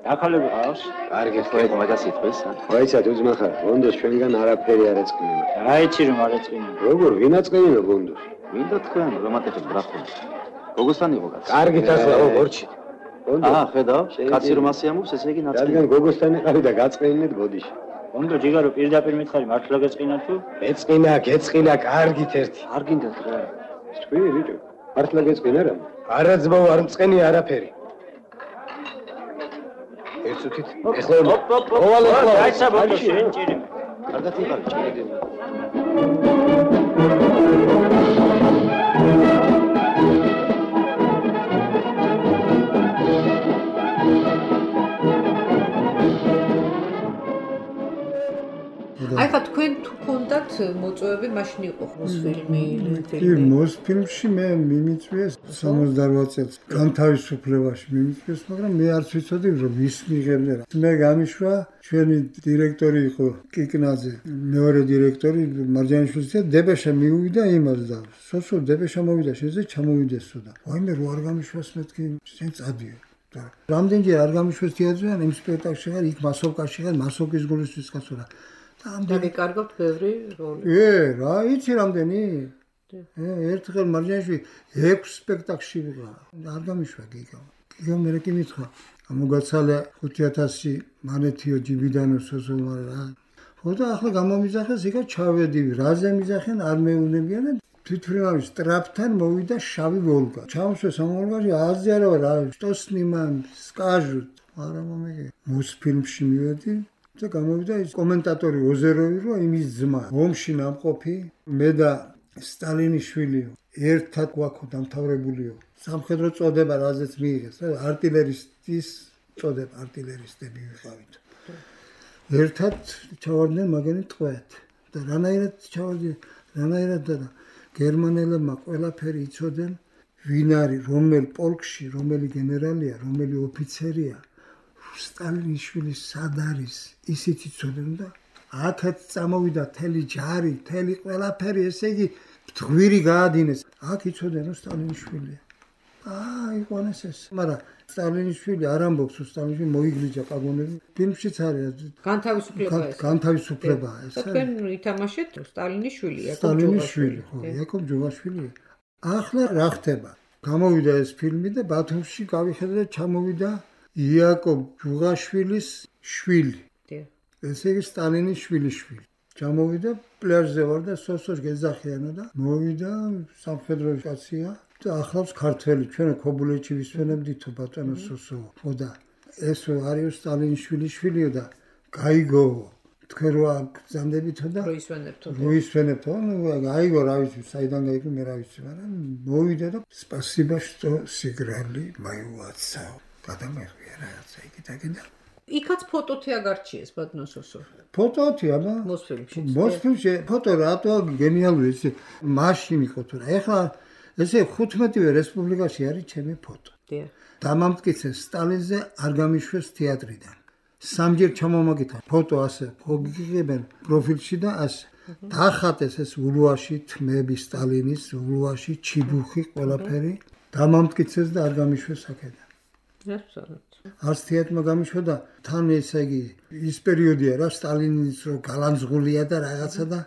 დახალები ყავს? კარგი ხო მაგას იტყვის? ვაიცად უძმა ხარ. ბონდოს ჩვენგან არაფერი არ ეწყინა. რაიცი რომ არ ეწყინა. როგორ ვინ აწყინა ბონდოს? მინდა თქვენ რომანტიკებს ბრახოთ. გოგოსთან იყო კაც. კარგით ახლა ვორჩი. ხედავ, კაცი რომ ასე ამობს, ესე იგი ნაწყინია. რადგან გოგოსთან იყავი და გაწყინეთ ბოდიში. ბონდო ჯიგარო პირდაპირ მითხარი, მართლა გეწყინა თუ? გეწყინა, კარგით ერთი. არ გინდათ რა. თქვი ბიჭო, მართლა გეწყინა რა? არა ძმაო, არ მწყენია არაფერი. ერთუთით. ეხლა ოვალ ეხლა. გაიცა ბონდო შენ ჭირიმე. კარგად იყავი ჭირიდები. აი ხა თქვენ თუ კონდათ მოწვევები მაშინ იყო მოსფილმი მოსფილმში მე მიმიწვიეს 68 წელს განთავისუფლებაში მიმიწვიეს მაგრამ მე არც ვიცოდი რომ ვის მიღებდნენ მე გამიშვა ჩვენი დირექტორი იყო კიკნაძე მეორე დირექტორი მარჯანიშვილის და დებეშა მიუვიდა იმას და სოსო დებეშა მოვიდა შეზე ჩამოვიდესო და აი მე რო არ გამიშვას მეთქი შენ წადიო რამდენჯერ არ გამიშვეს თეატრიდან იმ სპექტაკლში ხარ იქ მასოვკაში ხარ მასოვკის გულისთვის კაცო რა ამდენი კარგავთ ბევრი როლი. რა იცი რამდენი? ერთხელ მარჯანიშვილი 6 სპექტაკლში ვიყავ. არ გამიშვა გიგა. გიგა მე კი მითხრა. მოგაცალე 5000 მანეთიო ჯიბიდანო სოზომა რა. ხოდა ახლა გამომიძახეს იქა ჩავედი. რაზე მიზახენ არ მეუნებიან და თვითმფრინავის ტრაპთან მოვიდა შავი ვოლგა. ჩამოსვეს ამ ვოლგაში აზი არა რა. სტოსნიმან სკაჟუტ. არა მომიგე. მოსფილმში მივედი. და გამოვიდა ის კომენტატორი ოზეროვი რომ იმის ძმა ომში ნამყოფი მე და სტალინიშვილი ერთად გვაქვს დამთავრებულიო სამხედრო წოდება რაზეც მიიღეს არტილერისტის წოდება არტილერისტები ვიყავით ერთად ჩავარდნენ მაგენი ტყვეთ და რანაირად ჩავარდნენ რანაირად და გერმანელებმა ყველაფერი იცოდნენ ვინ არის რომელ პოლკში რომელი გენერალია რომელი ოფიცერია სტალინიშვილი სად არის ისიც იცოდნენ და აქაც წამოვიდა თელი ჯარი თელი ყველაფერი ესე იგი მტღვირი გაადინეს აქ იცოდნენ რომ სტალინიშვილია იყვანეს ეს მაგრამ სტალინიშვილი არ ამბობს რომ სტალინიშვილი მოიგლიჯა პაგონები ფილმშიც არის განთავისუფლება ეს თქვენ ითამაშეთ სტალინიშვილი სტალინიშვილი ხო იაკობ ჯოვაშვილი ახლა რა ხდება გამოვიდა ეს ფილმი და ბათუმში გავიხედე და ჩამოვიდა იაკობ ჯუღაშვილის შვილი. ესე იგი სტალინის შვილიშვილი. ჩამოვიდა პლაჟზე ვარ და სოსოს გეძახიანო და მოვიდა სამხედრო კაცია და ახლავს ქართველი ჩვენ ქობულეთში ვისვენებდითო ბატონო სოსო. ხოდა ეს არის სტალინის შვილიშვილიო და გაიგო თქვენ რა გზანდებითო და როისვენებთო. ну გაიგო რა ვიცი საიდან გაიგო მე რა ვიცი მაგრამ მოვიდა და спасибо что сыграли мою отца. გადამეხვია რაღაცა იქიდან. იქაც ფოტოთი აგარჩიეს ბატონოსოსო. ფოტოთი აბა? მოსფილმში ფოტო რატო გენიალური ეს მაშინ იყო თუ რა. ეხლა ესე 15-ვე რესპუბლიკაში არის ჩემი ფოტო. დიახ. დამამტკიცეს სტალინზე არ გამიშვეს თეატრიდან. სამჯერ ჩამომაკითხა ფოტო ასე გიგებენ პროფილში და ასე. დახატეს ეს ულუაში თმები სტალინის ულუაში ჩიბუხი ყველაფერი დამამტკიცეს და არ გამიშვეს აქედან. არც თეატრმა გამიშვა და თან ესე იგი ის პერიოდია რა სტალინის რო გალანძღულია და რაღაცა და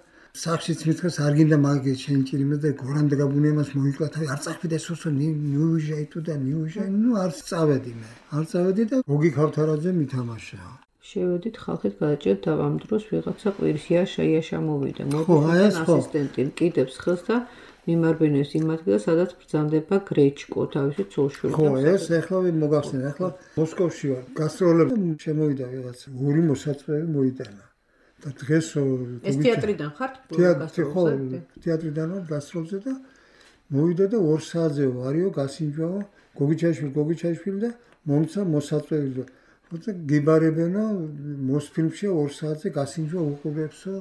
სახშიც მითხეს არ გინდა მაგის შენჭირიმე და გორანდ გაბუნიებას მოიკლა თავი არ წახვიდა სოსო ნიუჟაი თუ და ნიუჟაი ну არ წავედი მე არ წავედი და გოგი ქავთარაძე მითამაშა შევედით ხალხით გადაჭერთ და ამ დროს ვიღაცა ყვირსია შეიაშა მოვიდა მოდით ასისტენტი კიდებს ხელს და მიმარბენეს იმ ადგილას, სადაც ბრძანდება გრეჩკო, თავისი ცოლშვილი. ხო, ეს ახლა მოგახსენე, ახლა მოსკოვში ვარ. გასტროლები შემოვიდა ვიღაც, ორი მოსაწყები მოიტანა. და დღეს ეს თეატრიდან ხართ? ხო, თეატრიდან ვარ გასტროლზე და მოვიდა და 2 საათზე ვარიო, გასინჯვაო, გოგიჩაიშვილი და მომცა მოსაწყები და ხოთა გიბარებენო მოსფილმში 2 საათზე გასინჯვა უყურებსო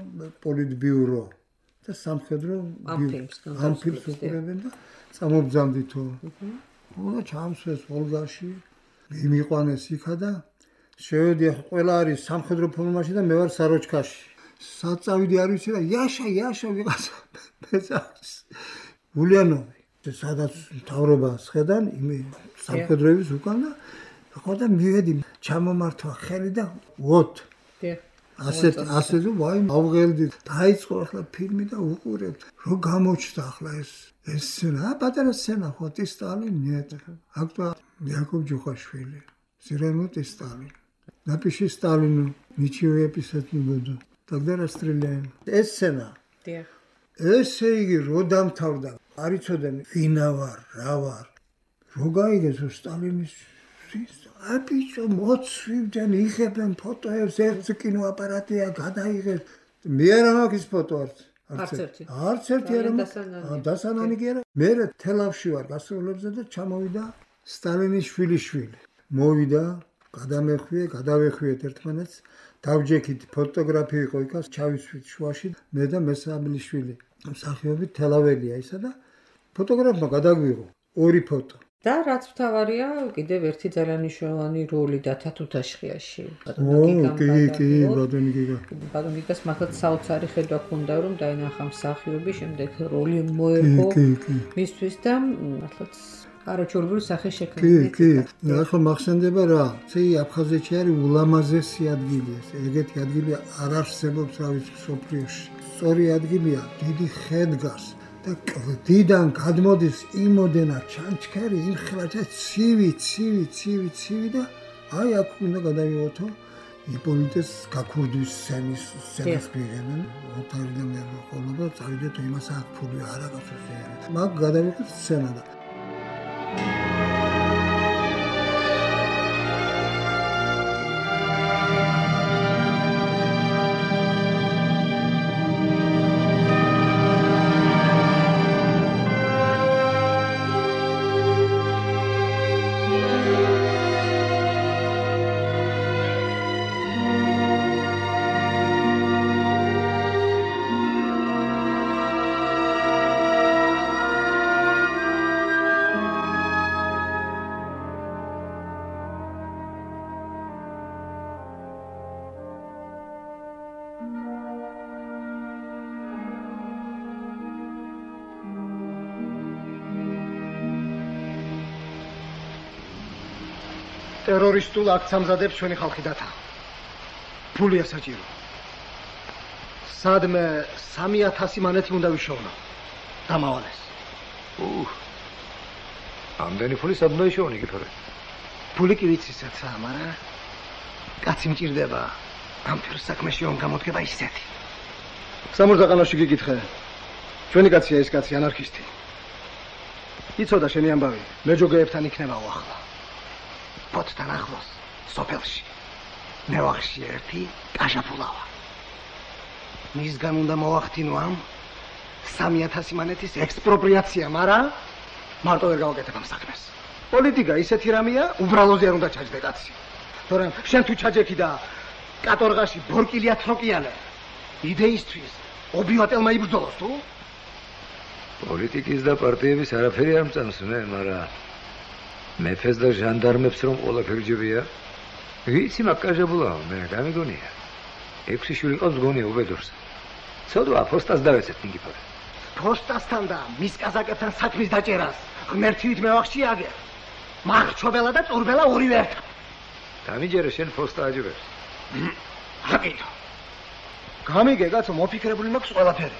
პოლიტბიურო. და სამხედრო ამ ფილმს უყურებენ და წამობძამდითო. ხო, ჩამსვეს ვოლგაში, მიმიყვანეს იქა და შევედი ყველა არის სამხედრო ფორმაში და მე ვარ საროჩკაში. საწავიდი არ ვიცი რა, იაშა ვიღაცა მეძახს. ულიანოვი, სადაც მთავრობას ხედან, იმი სამხედროების უკან და ხო და მივედი, ჩამომართვა ხელი და ვოთ. ასე ვაი ავღელდი დაიწყო ახლა ფილმი და უყურებთ რო გამოჩნდა ახლა ეს სცენა პატარა სცენა ხო სტალინი აქტვა იაკობ ჯუხაშვილი ზირემოთ სტალინი напиши сталину ничего писать не буду тогда расстреляем ეს სცენა ესე იგი რო დამთავრდა არ იცოდნენ ვინა ვარ რა ვარ რო გაიგეს სტალინის აბიჭო მოცვიდან იღებენ ფოტოებს ერთ კინოაპარატია გადაიღეს მე არ მაქვს ფოტო არც ერთი არ დასანანი კი არა მე თელავში ვარ გასტროლებზე და ჩამოვიდა სტალინის შვილიშვილი მოვიდა გადავეხვიეთ ერთმანეთს დავჯექით ფოტოგრაფი იყო იქაც ჩავისვით შუაში მე და მესამლიშვილი მსახიობი თელაველია ისა და ფოტოგრაფმა გადაგვიღო 2 ფოტო და რაც მთავარია კიდევ ერთი ძალიან მნიშვნელოვანი როლი და თათუთაშხიაში ბატონიკას მართლაც საოცარი ხედვა ჰქონდა რომ დაინახა მსახიობი შემდეგ როლი მოერგო მისთვის და მართლაც არაჩვეულებრივი სახე შექმნა კი ახლა მახსენდება რა ცი აფხაზეთში არის ულამაზესი ადგილი ეს ეგეთი ადგილი არ არსებობს რა ვიცი სოფლიოში სწორი ადგილია დიდი ხე დგას და კლდიდან გადმოდის იმოდენა ჩანჩქერი იმხლაჭა ცივი და აი აქ უნდა გადავიღოთო იპოლიტეს გაქურდვის სცენას პირებენ ოთარიდან მე ხოლმე წავიდეთ იმას აქ ფული არა გასუზიერეთ მაგ გადავიღეთ სცენა და ტერორისტულ აქტს ამზადებს ჩვენი ხალხი დათა. ფულია საჭირო. სადმე 3000 მანეთი უნდა ვიშოვნო. დამავალეს. ამდენი ფული სადმე შევონი გიფორე. ფული კი ვიცისაც, მაგრამ კაცი მჭირდება. ამ ფერ საქმეში რომ გამოდგება ისეთი. სამურზაყანოში გიკითხე. ჩვენი კაცია ეს კაცი ანარქისტი. იცოდა შენი ამბავი, მეჯოგეებთან იქნებაო ახლა. ფოთთან ახლოს, სოფელში. მევახში ერთი კაჟაფულავა. მისგან უნდა მოვახდინო ამ 3000 მანეთის ექსპროპრიაცია, მაგრამ მარტო ვერ გავაკეთებ ამ საქმეს. პოლიტიკა ისეთი რამეა, უბრალოზე არ უნდა ჩაჯდე კაცი. თორემ შენ თუ ჩაჯექი და კატორღაში ბორკილია თროკიანე. იდეისთვის ობიატელმა იბრძოლოს თუ? პოლიტიკის და პარტიების არაფერი არ მწამს, მაგრამ მეფეს და ჟანდარმებს რომ ყველაფერი ჯებია. ვიცი მაგკაჟებულაო, მე გამიგონია. 6 შვილი ყავს გონია უბედურს. ცოდვა ფოსტას დავეცეთ ნიკიფორე. ფოსტასთან და მის კაზაკებთან საქმის დაჭერას ღმერთივით მევახში აგერ. მარჩობელა და წურბელა ორივე ერთად. დამიჯერე შენ ფოსტა აჯებებს. აკეთო. გამიგე კაცო, მოფიქრებული მაქვს ყველაფერი.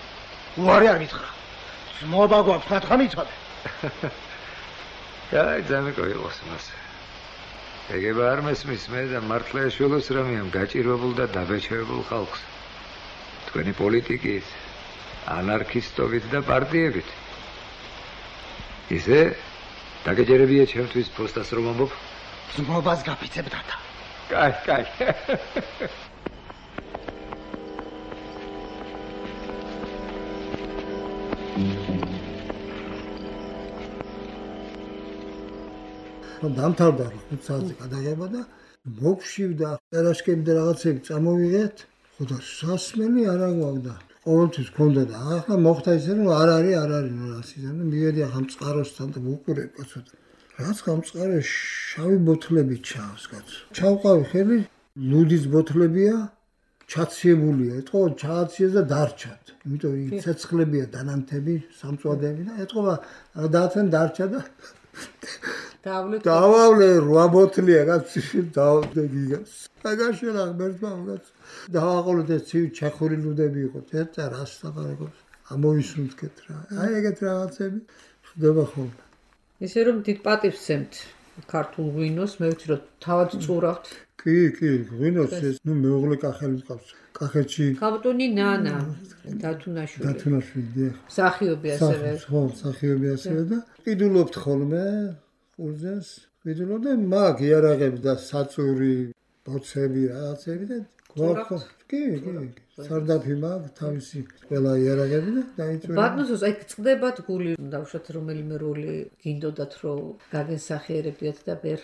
უარი არ მითხრა. ძმობა გვაქვს, რა მიცოდე. კაი, ძამეკო იყოს მას. ეგება არ მესმის მე და მართლა ეშველოს რამეამ გაჭირვებულ და დაბეჭდებულ ხალხს. თქვენი პოლიტიკით, ანარქისტობით და პარტიებით. ისე დაგეჯერებია ჩემთვის ფოსტას რომ ამბობ? ძმობას გაფიცებ დათა. კაი. დამთავრდა 5 საათზე გადაღება და მოგშივდა ტერაშკები და რაღაცები წამოვიღეთ. ხოდა სასმელი არა გვაქვს. ყოველთვის ქონდა და ახლა მოხდა ისე რომ არ არის რასიზმი და მივედი ახლა მწყაროსთან და ვუყურებ კაცო. რაც გამწყარე შავი ბოთლები ჩავს კაცო. ჩავყავი ხელი ლუდის ბოთლებია ჩაციებულია. ეთყობა ჩააციეს და დარჩათ. იმიტომ ცეცხლებია დანამთები, სამწვადეები და ეთყობა დაათენ დარჩა და დავავლე 8 ბოთლია კაცი დავდე გიგას. აგაშელა მერტმა კაცო. დავაყოლეთ ეს ცივი ჩეხური ლუდები იყო. ეცა რას ლაპარაკობს? ამოვისუნთქეთ რა. აი ეგეთ რაღაცები ხდება ხოლმე. ისე რომ დიდ პატივს სცემთ ქართულ ღვინოს, მე ვიცი რომ თავად წურავთ. კი, ღვინოს ეს მეუღლე კახელი მყავს. კახეთში ქავტონი ნანა დათუნაშვილი დიახ. მსახიობი ასევე. ხო, მსახიობი ასევე და ყიდულობთ ხოლმე ყურძენს. ყიდულობ და მაგ იარაღები და საწური ბოცები რაღაცები და გვაქვს. კი. სარდაფი მაგ თავისი ყველა იარაღები და დაიწვია. ბატონოს აი წდებათ გული დავუშვათ რომელიმე როლი გინდოდათ რომ გაგენსახიერებიათ და ვერ.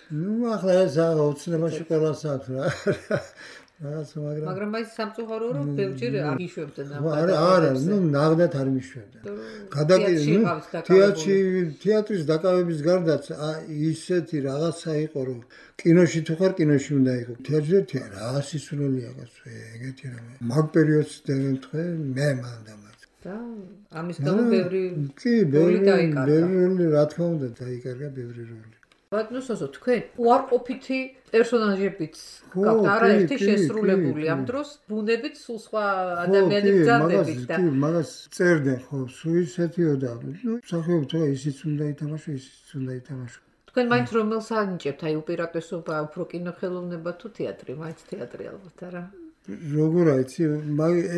ახლა ეს აუცილებლად ყველას აქვს რა. მაგრამ აი სამწუხარო რომ ბევრჯერ აღიშვებდნენ ამ არა, ნაღდათ არ მიშვებდნენ. თეატრის დაკავების გარდაც ისეთი რაღაცა იყო რომ კინოში თუ ხარ კინოში უნდა იყო. თეატრში რა სისულელია კაცო, ეგეთი რამე. მაგ პერიოდს დავემთხე მე მანდამაც. და ამის გამო ბევრი რა თქმა უნდა დაიკარგა ბევრი როლი. ბატონოსო თქვენ უარყოფითი პერსონაჟებით გაქვთ არაერთი შესრულებული ამ დროს ბუნებით სულ სხვა ადამიანები გძალდებით და მაგას წერდნენ ხო სულ ისეთიო და მსახიობი თუ ისიც უნდა ითამაშო თქვენ მაინც რომელს ანიჭებთ აი უპირატესობა უფრო კინოხელოვნება თუ თეატრი მაინც თეატრი ალბათ არა როგორ აიცი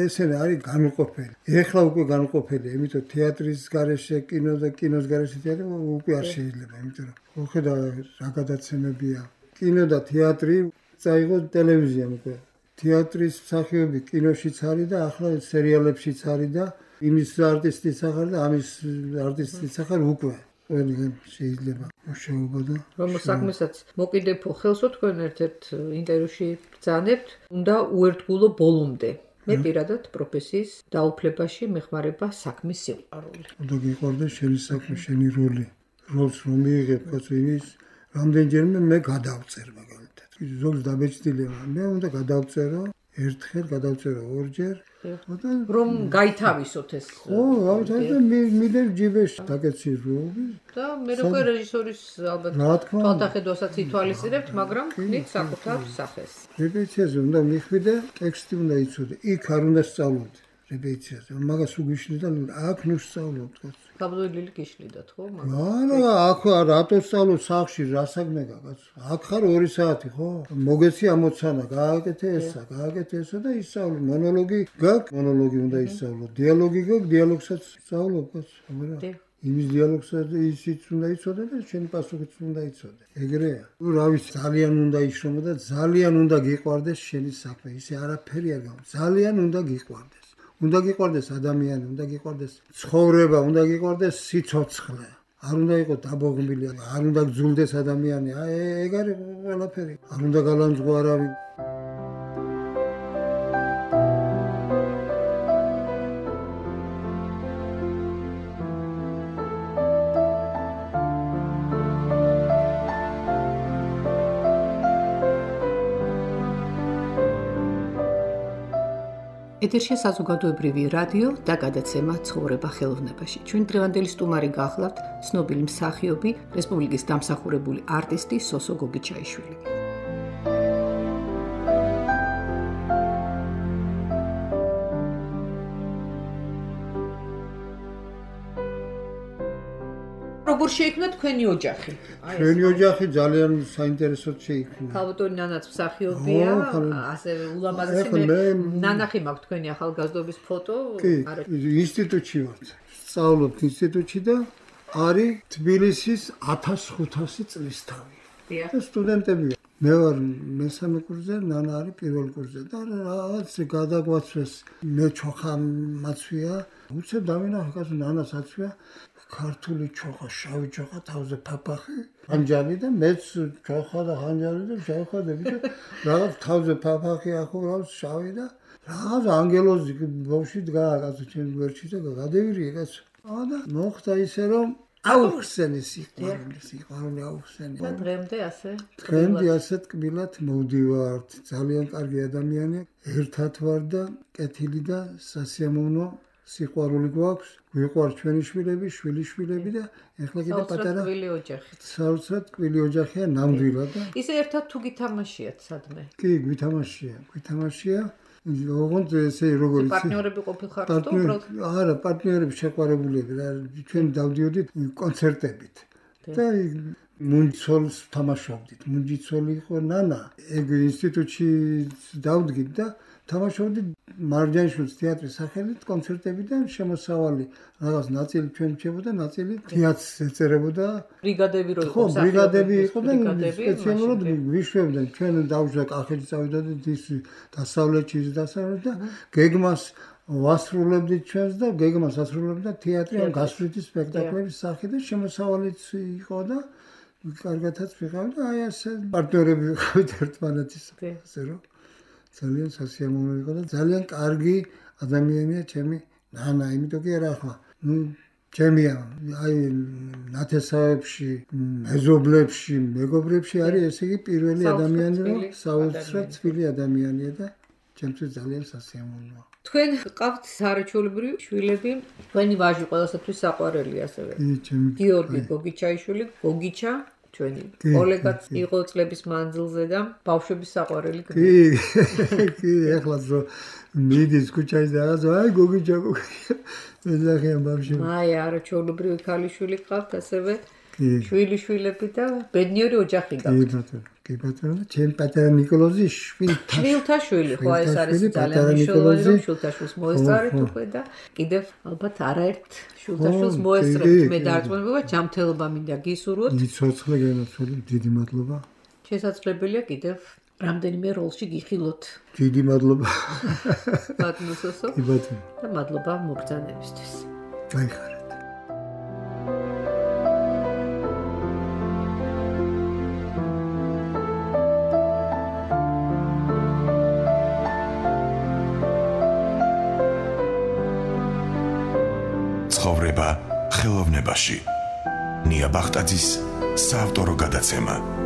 ესენი არის განუყოფელი ეხლა უკვე განუყოფელი იმიტომ თეატრის გარეშე კინო და კინოს გარეშე თეატრი უკვე არ შეიძლება იმიტომ რომ ხედა რა გადაცემებია კინო და თეატრი წაიღო ტელევიზიამ უკვე თეატრის მსახიობი კინოშიც არის და ახლა სერიალებშიც არის და იმის არტისტის სახარ და ამის არტისტის სახარ უკვე ყველგან შეიძლება მუშაობა და რომ საქმესაც მოკიდებო ხელსო თქვენ ერთ-ერთ ინტერვიუში ბრძანებთ უნდა უერთგულო ბოლომდე მე პირადად პროფესიის დაუფლებაში მეხმარება საქმის სიყვარული უნდა გიყვარდეს შენი საქმე შენი როლი როლს რომ მიიღებ კაცო იმის რამდენჯერმე მე გადავწერ მაგალითად ზოგს დაბეჭდილია მე უნდა გადავწერო ერთხელ გადავწერო ორჯერ რომ გაითავისოთ ეს ხო ამიტომ მიდერ ჯიბეში დაკეცის როლი და მე როგორ რეჟისორის ალბათ თვალთახედვასაც ითვალისწინებთ მაგრამ ხდით საკუთარ სახეს რეპეტიციაზე უნდა მიხვიდე ტექსტი უნდა იცოდე იქ არ უნდა სწავლობდე რეპეტიციაზე მაგას უგვიშნი და აქ ნუ სწავლობთ თავდოლილი გიშლიდათ ხო? არა, აქ რატო სწავლობ სახლში, რა საქმე გაქვს? აქ ხარ 2 საათი ხო? მოგეცი ამოცანა, გააკეთე ესა და ისწავლე. მონოლოგი გაქვს, მონოლოგი უნდა ისწავლო. დიალოგი გაქვს, დიალოგსაც სწავლობ, რა? იმის დიალოგსაც ისიც უნდა იცოდე და შენი პასუხიც უნდა იცოდე. ეგრეა. რა ვიცი, ძალიან უნდა იშრომო და ძალიან უნდა გიყვარდეს შენი საქმე. ისე არაფერი არ გაქვს. ძალიან უნდა გიყვარდეს. უნდა გიყვარდეს ადამიანი, უნდა გიყვარდეს ცხოვრება, უნდა გიყვარდეს სიცოცხლე. არ უნდა იყოს დაბოღმილი, არ უნდა გძულდეს ადამიანი. ეგ არის ყველაფერი. არ უნდა გალანძღო არავინ. ეთერშია საზოგადოებრივი რადიო და გადაცემა ცხოვრება ხელოვნებაში. ჩვენ დღევანდელი სტუმარი გახლავთ ცნობილი მსახიობი, რესპუბლიკის დამსახურებული არტისტი სოსო გოგიჩაიშვილი. როგორ შეიქმნა თქვენი ოჯახი? ჩვენი ოჯახი ძალიან საინტერესოდ შეიქმნა. ქალბატონი ნანაც მსახიობია, ასევე ულამაზესი ნანახი მაქვს თქვენი ახალგაზრდობის ფოტო. არა, ინსტიტუტში ვარ. სწავლობ ინსტიტუტში და არის თბილისის 1500 წლისთავი. და სტუდენტებია. მე ვარ მესამე კურსზე, ნანა არის პირველ კურსზე და რაღაც გადაგვაცვეს მე ჩოხა მაცვია. უცებ დავინახე კაცო ნანას აცვია. ქართული ჩოხა, შავი ჩოხა, თავზე ფაფახი, ხანჯალი და მეც ჩოხა და ხანჯალი და შევხედები და რაღაც თავზე ფაფახი ახო რაღაც შავი და რაღაც ანგელოზი ბავშვი დგაა კაცო ჩემ გვერდში და გადევირიე კაცო. და მოხდა ისე რომ აუხსენი სიყვარული აუხსენი. და დღემდე ასე? დღემდე ასე ტკბილად მოვდივართ. ძალიან კარგი ადამიანი, ერთად ვარ და კეთილი და სასიამოვნო სიყვარული გვაქვს, გვიყვარს ჩვენი შვილები, შვილიშვილები და ეხლა კიდე პატარა საოცრად ოჯახი. საოცრად ტკბილი ოჯახია ნამდვილად და ისე ერთად თუ გითამაშიათ სადმე? კი, გვითამაშია. ოღონდ ესე როგორ იცი? პარტნიორები ყოფილხართ თუ უბრალოდ? არა, პარტნიორები შეყვარებულები და ჩვენ დავდიოდით კონცერტებით. და მუნჯიცოლს თამაშობდით. მუნჯიცოლი იყო ნანა. ეგ ინსტიტუტში დავდგით და თამაშობდი მარჯანიშვილის თეატრის სახელით კონცერტებიდან შემოსავალი რაღაც ნაწილი ჩვენ რჩებოდა, ნაწილი თეატრს ეწერებოდა. ბრიგადები რო იყო, ხო, ბრიგადები იყო და სპეციალურად ვიშვებდნენ. ჩვენ დავუშვა კახეთში წავიდოდით ის დასავლეთში და გეგმას ვასრულებდით ჩვენს და გეგმას ასრულებდა თეატრი ან გასვლითი სპექტაკლების სახით და შემოსავალიც იყო და კარგათაც ვიყავ და აი ასე პარტნიორები ვიყავით ერთმანეთის ასე რომ ძალიან სასიამოვნო იყო და ძალიან კარგი ადამიანია ჩემი ნანა, იმიტომ კი არა ახლა. ჩემია აი ნათესავებში, მეზობლებში, მეგობრებში არის ესე იგი პირველი ადამიანი, რომ საოცრად თბილი ადამიანია და ჩემთვის ძალიან სასიამოვნოა. თქვენ ყავთ საარჩეულებრივი შვილები, თქვენი ვაჟი ყველასათვის საყვარელი ასევე. გიორგი გოგიჩაიშვილი, გოგიჩა ჩვენი კოლეგაც იყო წლების მანძილზე და ბავშვების საყვარელი. კი, ეხლა ზო მიდის ქუჩაში და აი გოგიჩა მეზახიან ბავშვი. აი არაჩვეულებრივი ქალიშვილი ყავთ ასევე შვილიშვილები და ბედნიერი ოჯახი გაქვთ. კი ბატონო, ჩემ პატარა ნიკოლოზი შვილთა შვილი, ხო ეს არის ძალიან მნიშვნელოვანი რომ შვილთა შვილს მოესწარეთ უკვე და კიდევ ალბათ არაერთ შვილთა შვილს მოესწრებთ მე დარწმუნება ჯანმრთელობა მინდა გისურვოთ. სიცოცხლე გენაცვლები, დიდი მადლობა. შესაძლებელია კიდევ რამდენიმე როლში გიხილოთ. დიდი მადლობა. ბატონო სოსო. კი ბატონო. და მადლობა მოგზანებისთვის. გაიხარეთ. ცხოვრება ხელოვნებაში. ნია ბახტაძის საავტორო გადაცემა.